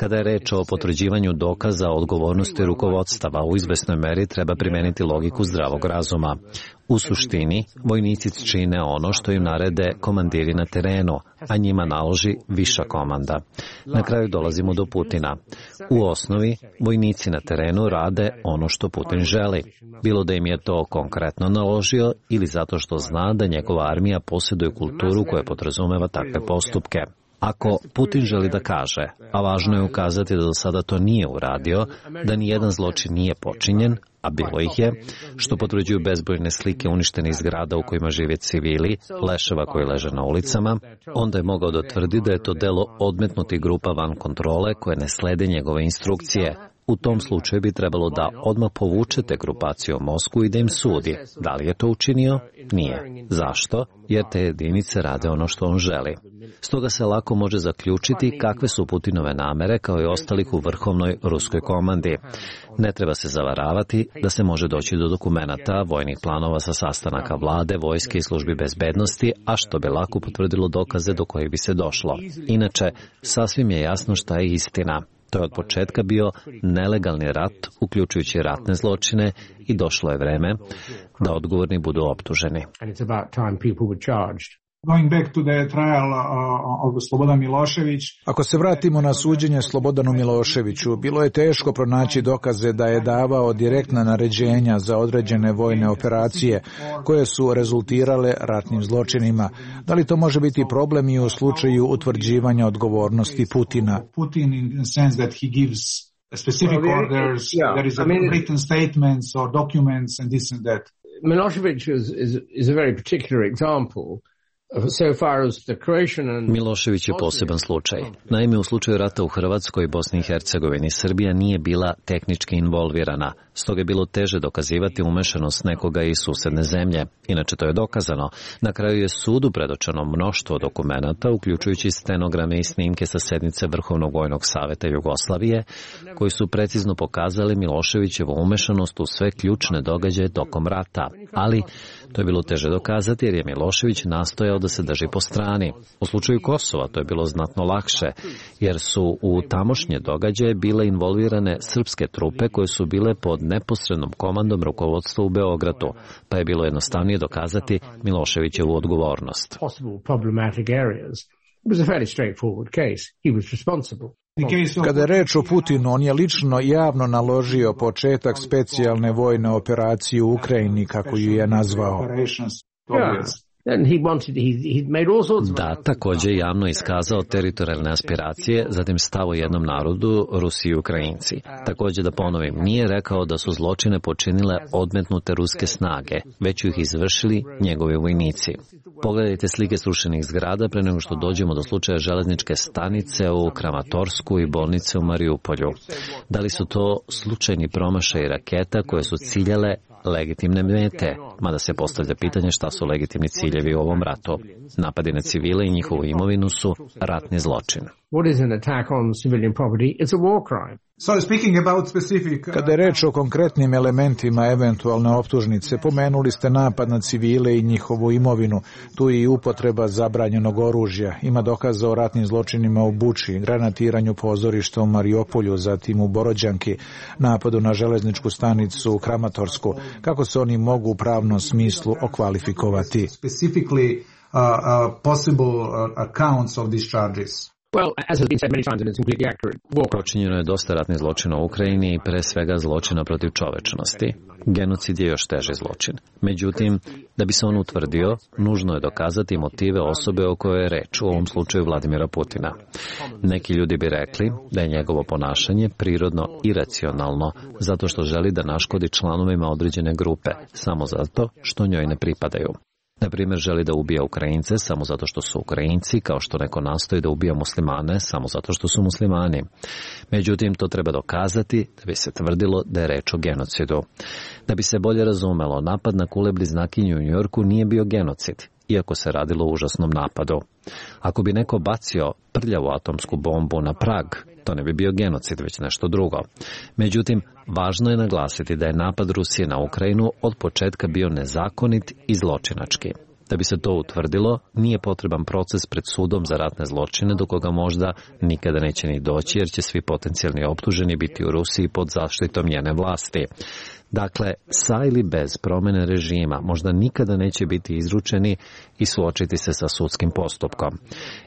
Kada je reč o potvrđivanju dokaza o odgovornosti rukovodstava, u izvesnoj meri treba primeniti logiku zdravog razuma. U suštini, vojnici čine ono što im narede komandiri na terenu, a njima naloži viša komanda. Na kraju dolazimo do Putina. U osnovi, vojnici na terenu rade ono što Putin želi. Bilo da im je to konkretno naložio ili zato što zna da njegova armija posjeduje kulturu koja podrazumeva takve postupke. Ako Putin želi da kaže, a važno je ukazati da do sada to nije uradio, da ni jedan zločin nije počinjen, a bilo ih je, što potvrđuju bezbrojne slike uništenih zgrada u kojima žive civili, leševa koji leže na ulicama, onda je mogao da tvrdi da je to delo odmetnutih grupa van kontrole koje ne slede njegove instrukcije. U tom slučaju bi trebalo da odmah povučete grupaciju u Moskvu i da im sudi. Da li je to učinio? Nije. Zašto? Jer te jedinice rade ono što on želi. Stoga se lako može zaključiti kakve su Putinove namere kao i ostalih u vrhovnoj ruskoj komandi. Ne treba se zavaravati da se može doći do dokumenata, vojnih planova sa sastanaka vlade, vojske i službi bezbednosti, a što bi lako potvrdilo dokaze do kojih bi se došlo. Inače, sasvim je jasno šta je istina. To je od početka bio nelegalni rat, uključujući ratne zločine, i došlo je vreme da odgovorni budu optuženi. Ako se vratimo na suđenje Slobodanu Miloševiću, bilo je teško pronaći dokaze da je davao direktna naređenja za određene vojne operacije koje su rezultirale ratnim zločinima. Da li to može biti problem i u slučaju utvrđivanja odgovornosti Putina? Milošević is a very particular example. Milošević je poseban slučaj. Naime, u slučaju rata u Hrvatskoj, Bosni i Hercegovini, Srbija nije bila tehnički involvirana, stoga je bilo teže dokazivati umešanost nekoga iz susedne zemlje. Inače, to je dokazano. Na kraju je sudu predočeno mnoštvo dokumenata, uključujući stenograme i snimke sa sednice Vrhovnog vojnog saveta Jugoslavije, koji su precizno pokazali Miloševićevu umešanost u sve ključne događaje tokom rata. Ali to je bilo teže dokazati jer je Milošević nastojao da se drži po strani. U slučaju Kosova to je bilo znatno lakše, jer su u tamošnje događaje bile involvirane srpske trupe koje su bile pod neposrednom komandom rukovodstva u Beogradu, pa je bilo jednostavnije dokazati Miloševićevu odgovornost. Kada je reč o Putinu, on je lično javno naložio početak specijalne vojne operacije u Ukrajini, kako ju je nazvao. Da, također javno iskazao teritorijalne aspiracije, zatim stav o jednom narodu, Rusi i Ukrajinci. Također da ponovim, nije rekao da su zločine počinile odmetnute ruske snage, već ih izvršili njegovi vojnici. Pogledajte slike srušenih zgrada pre nego što dođemo do slučaja železničke stanice u Kramatorsku i bolnice u Mariupolju. Da li su to slučajni promašaj raketa koje su ciljale legitimne mete? mada se postavlja pitanje šta su legitimni ciljevi u ovom ratu. Napadi na civile i njihovu imovinu su ratni zločin. Kada je reč o konkretnim elementima eventualne optužnice, pomenuli ste napad na civile i njihovu imovinu. Tu je i upotreba zabranjenog oružja. Ima dokaza o ratnim zločinima u Buči, granatiranju pozorišta u Mariupolju, zatim u Borođanki, napadu na železničku stanicu u Kramatorsku. Kako se oni mogu u pravnom smislu okvalifikovati? Possible accounts of these charges. Počinjeno je dosta ratnih zločina u Ukrajini i pre svega zločina protiv čovečnosti. Genocid je još teži zločin. Međutim, da bi se on utvrdio, nužno je dokazati motive osobe o kojoj je reč, u ovom slučaju Vladimira Putina. Neki ljudi bi rekli da je njegovo ponašanje prirodno iracionalno, zato što želi da naškodi članovima određene grupe, samo zato što njoj ne pripadaju. Na primjer, želi da ubija Ukrajince samo zato što su Ukrajinci, kao što neko nastoji da ubija muslimane samo zato što su muslimani. Međutim, to treba dokazati da bi se tvrdilo da je reč o genocidu. Da bi se bolje razumelo, napad na kule bliznakinju u Njujorku nije bio genocid, iako se radilo o užasnom napadu. Ako bi neko bacio prljavu atomsku bombu na Prag, to ne bi bio genocid, već nešto drugo. Međutim, važno je naglasiti da je napad Rusije na Ukrajinu od početka bio nezakonit i zločinački. Da bi se to utvrdilo, nije potreban proces pred sudom za ratne zločine do koga možda nikada neće ni doći, jer će svi potencijalni optuženi biti u Rusiji pod zaštitom njene vlasti. Dakle, sa ili bez promjene režima možda nikada neće biti izručeni i suočiti se sa sudskim postupkom.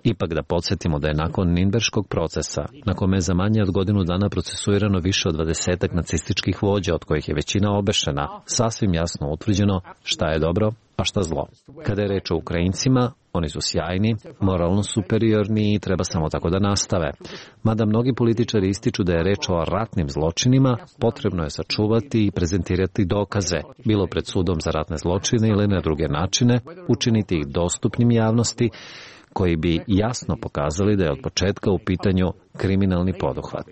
Ipak da podsjetimo da je nakon Nirnberškog procesa, na kome je za manje od godinu dana procesuirano više od 20 nacističkih vođa, od kojih je većina obešena, sasvim jasno utvrđeno šta je dobro, a šta zlo. Kada je reč o Ukrajincima, oni su sjajni, moralno superiorni i treba samo tako da nastave. Mada mnogi političari ističu da je reč o ratnim zločinima, potrebno je sačuvati i prezentirati dokaze, bilo pred sudom za ratne zločine ili na druge načine, učiniti ih dostupnim javnosti, koji bi jasno pokazali da je od početka u pitanju kriminalni poduhvat.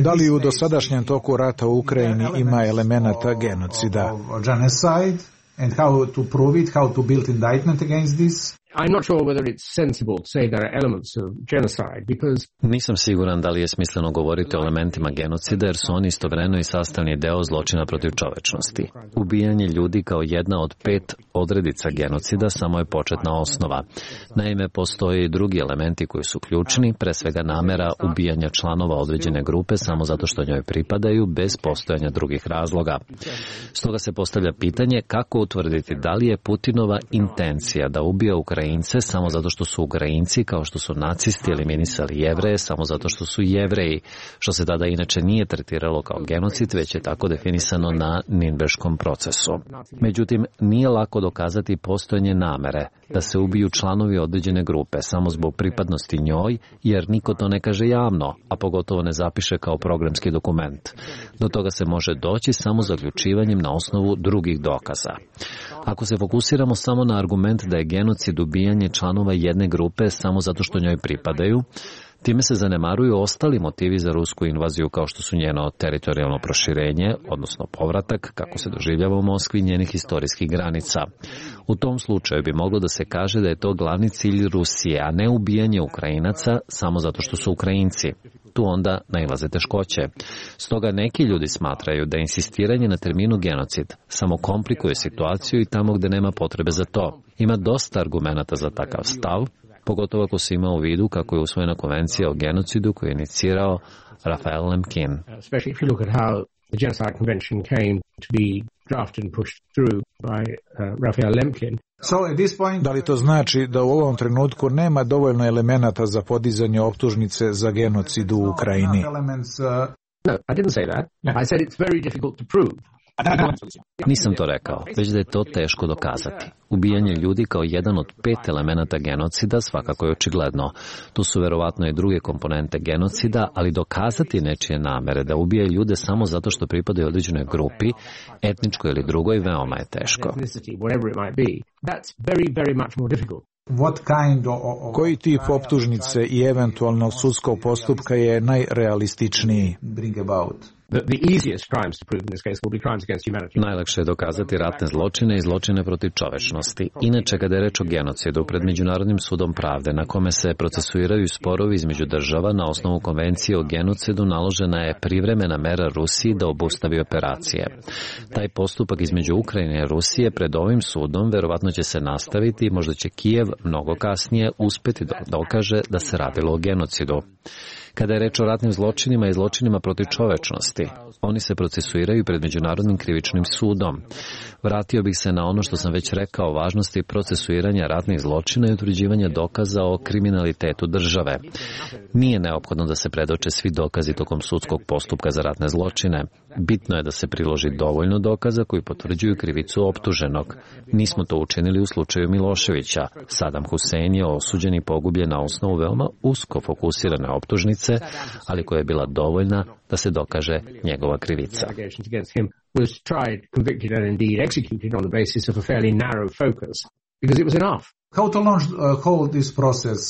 Da li u dosadašnjem toku rata u Ukrajini ima elemenata genocida? And how to prove it, how to build indictment against this? I'm not sure whether it's sensible to say there are elements of genocide because Nisam siguran da li je smisleno govoriti o elementima genocida, jer su oni istovremeno i sastavni deo zločina protiv čovečnosti. Ubijanje ljudi kao jedna od 5 odredica genocida samo je početna osnova. Naime, postoje i drugi elementi koji su ključni, pre svega namera ubijanja članova određene grupe samo zato što njoj pripadaju, bez postojanja drugih razloga. Stoga se postavlja pitanje kako utvrditi da li je Putinova intencija da ubija Ukrajince samo zato što su Ukrajinci, kao što su nacisti eliminisali Jevreje samo zato što su Jevreji, što se tada inače nije tretiralo kao genocid, već je tako definisano na Nirnberškom procesu. Međutim, nije lako dokazati postojanje namere da se ubiju članovi određene grupe samo zbog pripadnosti njoj, jer niko to ne kaže javno, a pogotovo ne zapiše kao programski dokument. Do toga se može doći samo zaključivanjem na osnovu drugih dokaza. Ako se fokusiramo samo na argument da je genocid ubijanje članova jedne grupe samo zato što njoj pripadaju, time se zanemaruju ostali motivi za rusku invaziju, kao što su njeno teritorijalno proširenje, odnosno povratak, kako se doživljava u Moskvi, njenih historijskih granica. U tom slučaju bi moglo da se kaže da je to glavni cilj Rusije, a ne ubijanje Ukrajinaca samo zato što su Ukrajinci. Tu onda nailaze teškoće. Stoga neki ljudi smatraju da insistiranje na terminu genocid samo komplikuje situaciju i tamo gde nema potrebe za to. Ima dosta argumenata za takav stav, pogotovo ako se ima u vidu kako je usvojena konvencija o genocidu koju je inicirao Raphael Lemkin. Da li to znači da u ovom trenutku nema dovoljno elemenata za podizanje optužnice za genocid u Ukrajini? No, I didn't say that. I said it's very difficult to prove. Nisam to rekao, već da je to teško dokazati. Ubijanje ljudi kao jedan od 5 elemenata genocida svakako je očigledno. Tu su verovatno i druge komponente genocida, ali dokazati nečije namere da ubije ljude samo zato što pripadaju određenoj grupi, etničkoj ili drugoj, veoma je teško. Koji tip optužnice i eventualnog sudskog postupka je najrealističniji? Najlakše je dokazati ratne zločine i zločine protiv čovečnosti. Inače, kada je reč o genocidu pred Međunarodnim sudom pravde, na kome se procesuiraju sporovi između država na osnovu konvencije o genocidu, naložena je privremena mera Rusiji da obustavi operacije. Taj postupak između Ukrajine i Rusije pred ovim sudom verovatno će se nastaviti i možda će Kijev mnogo kasnije uspeti da dokaže da se radilo o genocidu. Kada je reč o ratnim zločinima i zločinima protiv čovečnosti, oni se procesuiraju pred Međunarodnim krivičnim sudom. Vratio bih se na ono što sam već rekao o važnosti procesuiranja ratnih zločina i utvrđivanja dokaza o kriminalitetu države. Nije neophodno da se predoče svi dokazi tokom sudskog postupka za ratne zločine. Bitno je da se priloži dovoljno dokaza koji potvrđuju krivicu optuženog. Nismo to učinili u slučaju Miloševića. Saddam Hussein je osuđen i pogubljen na osnovu veoma usko fokusirane optužnice, ali koja je bila dovoljna da se dokaže njegova krivica. Was tried, convicted and indeed executed on the basis of a fairly narrow focus, because it was enough. How to hold this process,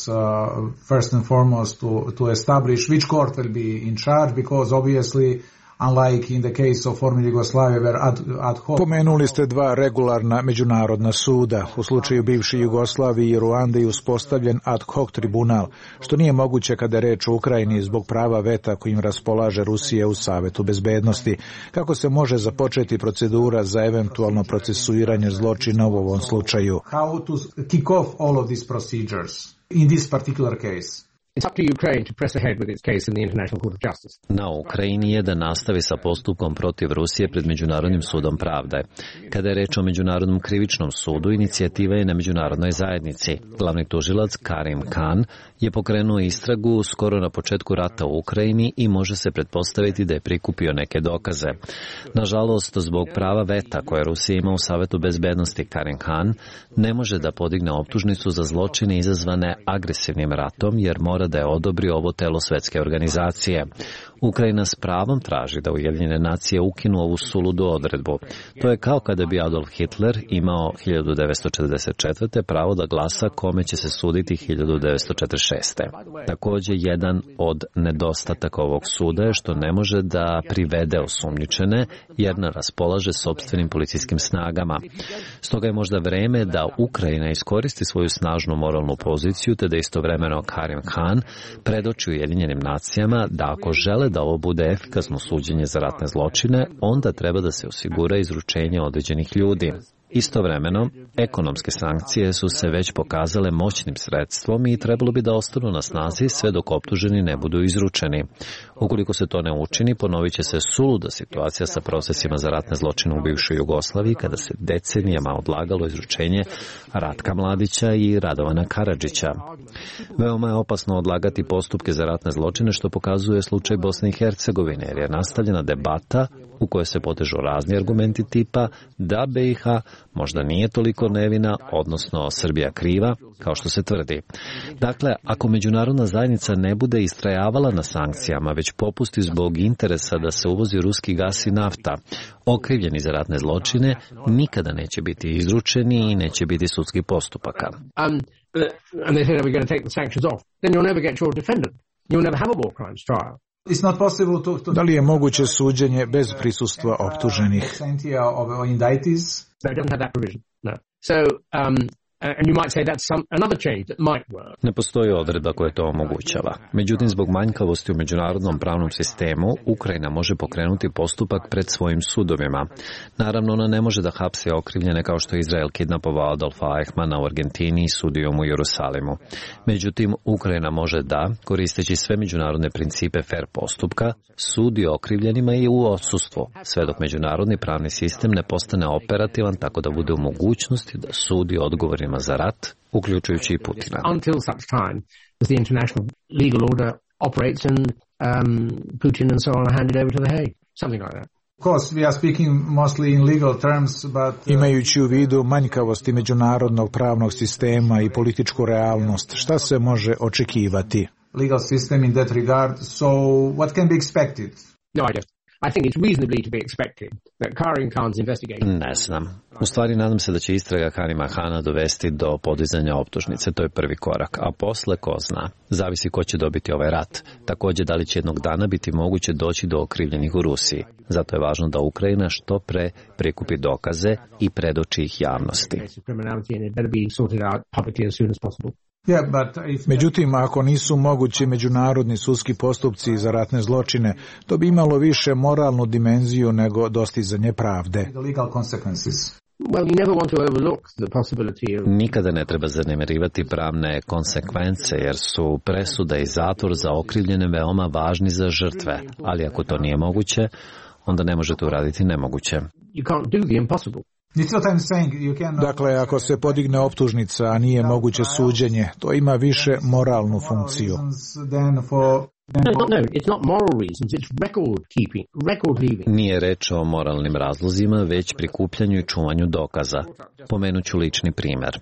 first and foremost, to establish which court will be in charge, because obviously, unlike in the case of former Yugoslavia, where ad hoc... Pomenuli ste dva regularna međunarodna suda. U slučaju bivše Jugoslavije i Ruande je uspostavljen ad hoc tribunal, što nije moguće kada je reč o Ukrajini zbog prava veta kojim raspolaže Rusija u Savetu bezbednosti. Kako se može započeti procedura za eventualno procesuiranje zločina u ovom slučaju? How to kick off all of these procedures in this particular case? It's up to Ukraine to press ahead with its case in the International Court of Justice. Na Ukrajini je da nastavi sa postupkom protiv Rusije pred Međunarodnim sudom pravde. Kada je reč o Međunarodnom krivičnom sudu, inicijativa je na međunarodnoj zajednici. Glavni tužilac Karim Khan je pokrenuo istragu skoro na početku rata u Ukrajini i može se pretpostaviti da je prikupio neke dokaze. Nažalost, zbog prava veta koje Rusija ima u Savetu bezbednosti, Karim Khan ne može da podigne optužnicu za zločine izazvane agresivnim ratom, jer mora da je odobri ovo telo svetske organizacije. Ukrajina s pravom traži da Ujedinjene nacije ukinu ovu suludu odredbu. To je kao kada bi Adolf Hitler imao 1944. pravo da glasa kome će se suditi 1946. Također, jedan od nedostataka ovog suda je što ne može da privede osumnjičene, jer ne raspolaže sopstvenim policijskim snagama. Stoga je možda vreme da Ukrajina iskoristi svoju snažnu moralnu poziciju, te da istovremeno Karim Khan predoči Ujedinjenim nacijama da ako žele da ovo bude efikasno suđenje za ratne zločine, onda treba da se osigura izručenje određenih ljudi. Istovremeno, ekonomske sankcije su se već pokazale moćnim sredstvom i trebalo bi da ostanu na snazi sve dok optuženi ne budu izručeni. Ukoliko se to ne učini, ponovit će se suluda situacija sa procesima za ratne zločine u bivšoj Jugoslaviji, kada se decenijama odlagalo izručenje Ratka Mladića i Radovana Karadžića. Veoma je opasno odlagati postupke za ratne zločine, što pokazuje slučaj Bosne i Hercegovine, jer je nastavljena debata u kojoj se potežu razni argumenti tipa da BiH možda nije toliko nevina, odnosno Srbija kriva, kao što se tvrdi. Dakle, ako međunarodna zajednica ne bude istrajavala na sankcijama, već popusti zbog interesa da se uvozi ruski gas i nafta, okrivljeni za ratne zločine nikada neće biti izručeni i neće biti sudskih postupaka. And they said, we're going to take the sanctions off. Then you'll never get your defendant. You'll never have a war crimes trial. It's not possible to... Da li je moguće suđenje bez prisustva optuženih? No, it doesn't have that provision. No. So, and you might say that's another change that might work. Ne postoji odredba koja to omogućava. Međutim, zbog manjkavosti u međunarodnom pravnom sistemu, Ukrajina može pokrenuti postupak pred svojim sudovima. Naravno, ona ne može da hapse okrivljene kao što je Izrael kidnapovao Adolfa Eichmana u Argentini i sudio mu u Jerusalimu. Međutim, Ukrajina može da, koristeći sve međunarodne principe fair postupka, sudi okrivljenima i u odsustvu, sve dok međunarodni pravni sistem ne postane operativan tako da bude u mogućnosti da sudi odgovorima za rat, uključujući i Putina. Until such time as the international legal order operates and Putin and so on are handed over to The Hague, something like that. Of course, we are speaking mostly in legal terms, but... Imajući u vidu manjkavosti međunarodnog pravnog sistema i političku realnost, šta se može očekivati? Legal system in that regard, so what can be expected? No, I don't. I think it's reasonably to be expected that Karim Khan's investigation... Ne znam. U stvari nadam se da će istraga Karima Khana dovesti do podizanja optužnice. To je prvi korak. A posle, ko zna. Zavisi ko će dobiti ovaj rat. Također, da li će jednog dana biti moguće doći do okrivljenih u Rusiji. Zato je važno da Ukrajina što pre prikupi dokaze i predoči ih javnosti. Međutim, ako nisu mogući međunarodni sudski postupci za ratne zločine, to bi imalo više moralnu dimenziju nego dostizanje pravde. Nikada ne treba zanemarivati pravne konsekvence, jer su presuda i zatvor za okrivljene veoma važni za žrtve, ali ako to nije moguće, onda ne možete uraditi nemoguće. Dakle, ako se podigne optužnica, a nije moguće suđenje, to ima više moralnu funkciju. Nije reč o moralnim razlozima, već prikupljanju i čuvanju dokaza. Pomenut ću lični primjer.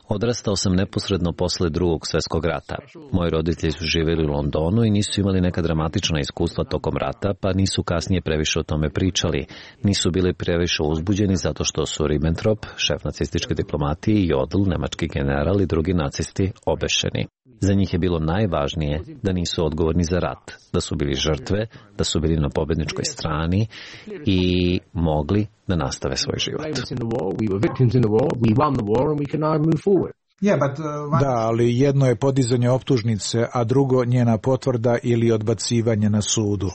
Odrastao sam neposredno posle Drugog svjetskog rata. Moji roditelji su živjeli u Londonu i nisu imali neka dramatična iskustva tokom rata, pa nisu kasnije previše o tome pričali. Nisu bili previše uzbuđeni zato što su Ribbentrop, šef nacističke diplomatije, i Jodl, nemački general, i drugi nacisti obešeni. Za njih je bilo najvažnije da nisu odgovorni za rat, da su bili žrtve, da su bili na pobjedničkoj strani i mogli da nastave svoj život. Da, ali jedno je podizanje optužnice, a drugo njena potvrda ili odbacivanje na sudu.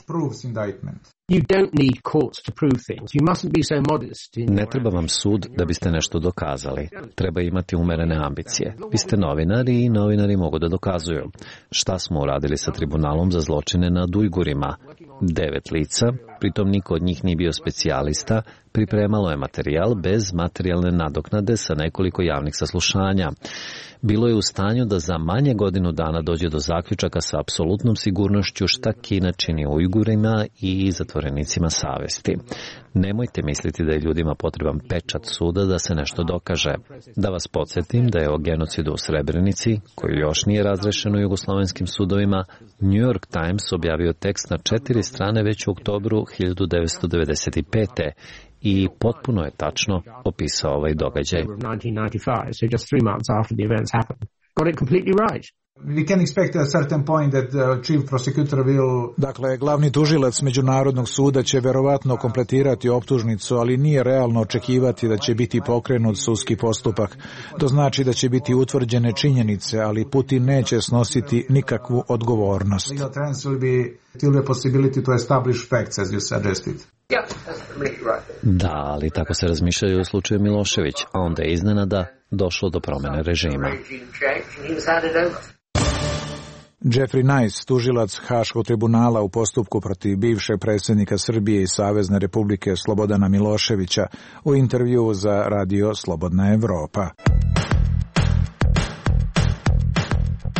Ne treba vam sud da biste nešto dokazali. Treba imati umerene ambicije. Vi ste novinari i novinari mogu da dokazuju. Šta smo uradili sa tribunalom za zločine nad Ujgurima? 9 lica, pritom niko od njih nije bio specijalista, pripremalo je materijal bez materijalne nadoknade sa nekoliko javnih saslušanja. Bilo je u stanju da za manje godinu dana dođe do zaključaka sa apsolutnom sigurnošću šta Kina čini Ujgurima i zatvorenicima savesti. Nemojte misliti da je ljudima potreban pečat suda da se nešto dokaže. Da vas podsjetim da je o genocidu u Srebrenici, koji još nije razrešen u jugoslovenskim sudovima, New York Times objavio tekst na 4 strane već u oktobru 1995. i potpuno je tačno opisao ovaj događaj. Dakle, glavni tužilac Međunarodnog suda će verovatno kompletirati optužnicu, ali nije realno očekivati da će biti pokrenut sudski postupak. To znači da će biti utvrđene činjenice, ali Putin neće snositi nikakvu odgovornost. Da, ali tako se razmišljaju u slučaju Milošević, a onda je iznenada došlo do promjene režima. Jeffrey Nice, tužilac Haškog tribunala u postupku protiv bivšeg predsjednika Srbije i Savezne Republike Slobodana Miloševića, u intervjuu za radio Slobodna Evropa.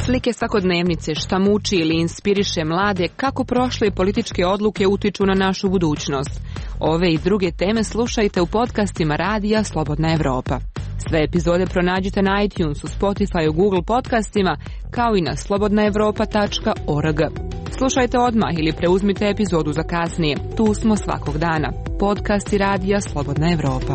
Slike svakodnevnice, šta muči ili inspiriše mlade, kako prošle političke odluke utiču na našu budućnost. Ove i druge teme slušajte u podcastima radija Slobodna Evropa. Sve epizode pronađite na iTunesu, Spotify, Google podcastima, kao i na slobodnaevropa.org. Slušajte odmah ili preuzmite epizodu za kasnije. Tu smo svakog dana. Podcasti radija Slobodna Evropa.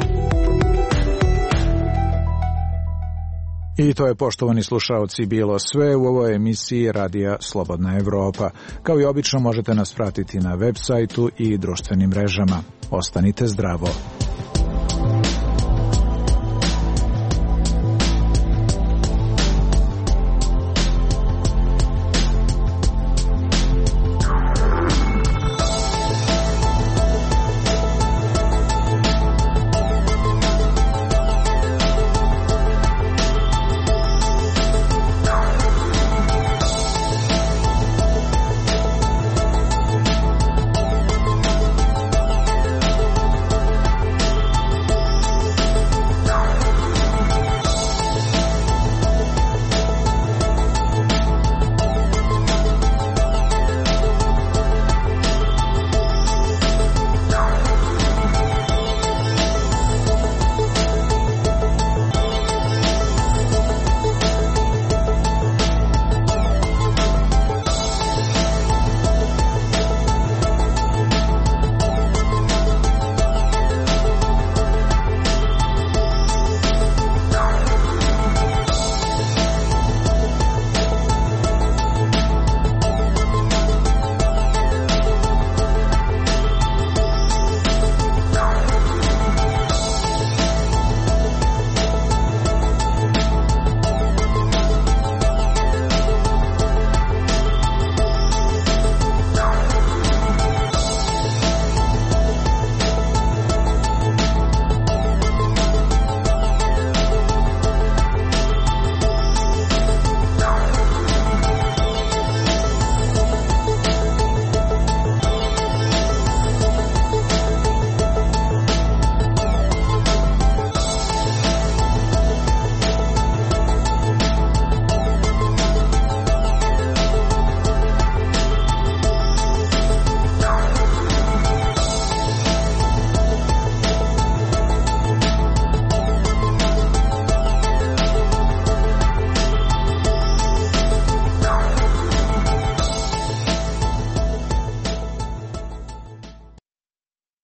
I to je, poštovani slušaoci, bilo sve u ovoj emisiji radija Slobodna Evropa. Kao i obično možete nas pratiti na web sajtu i društvenim mrežama. Ostanite zdravo.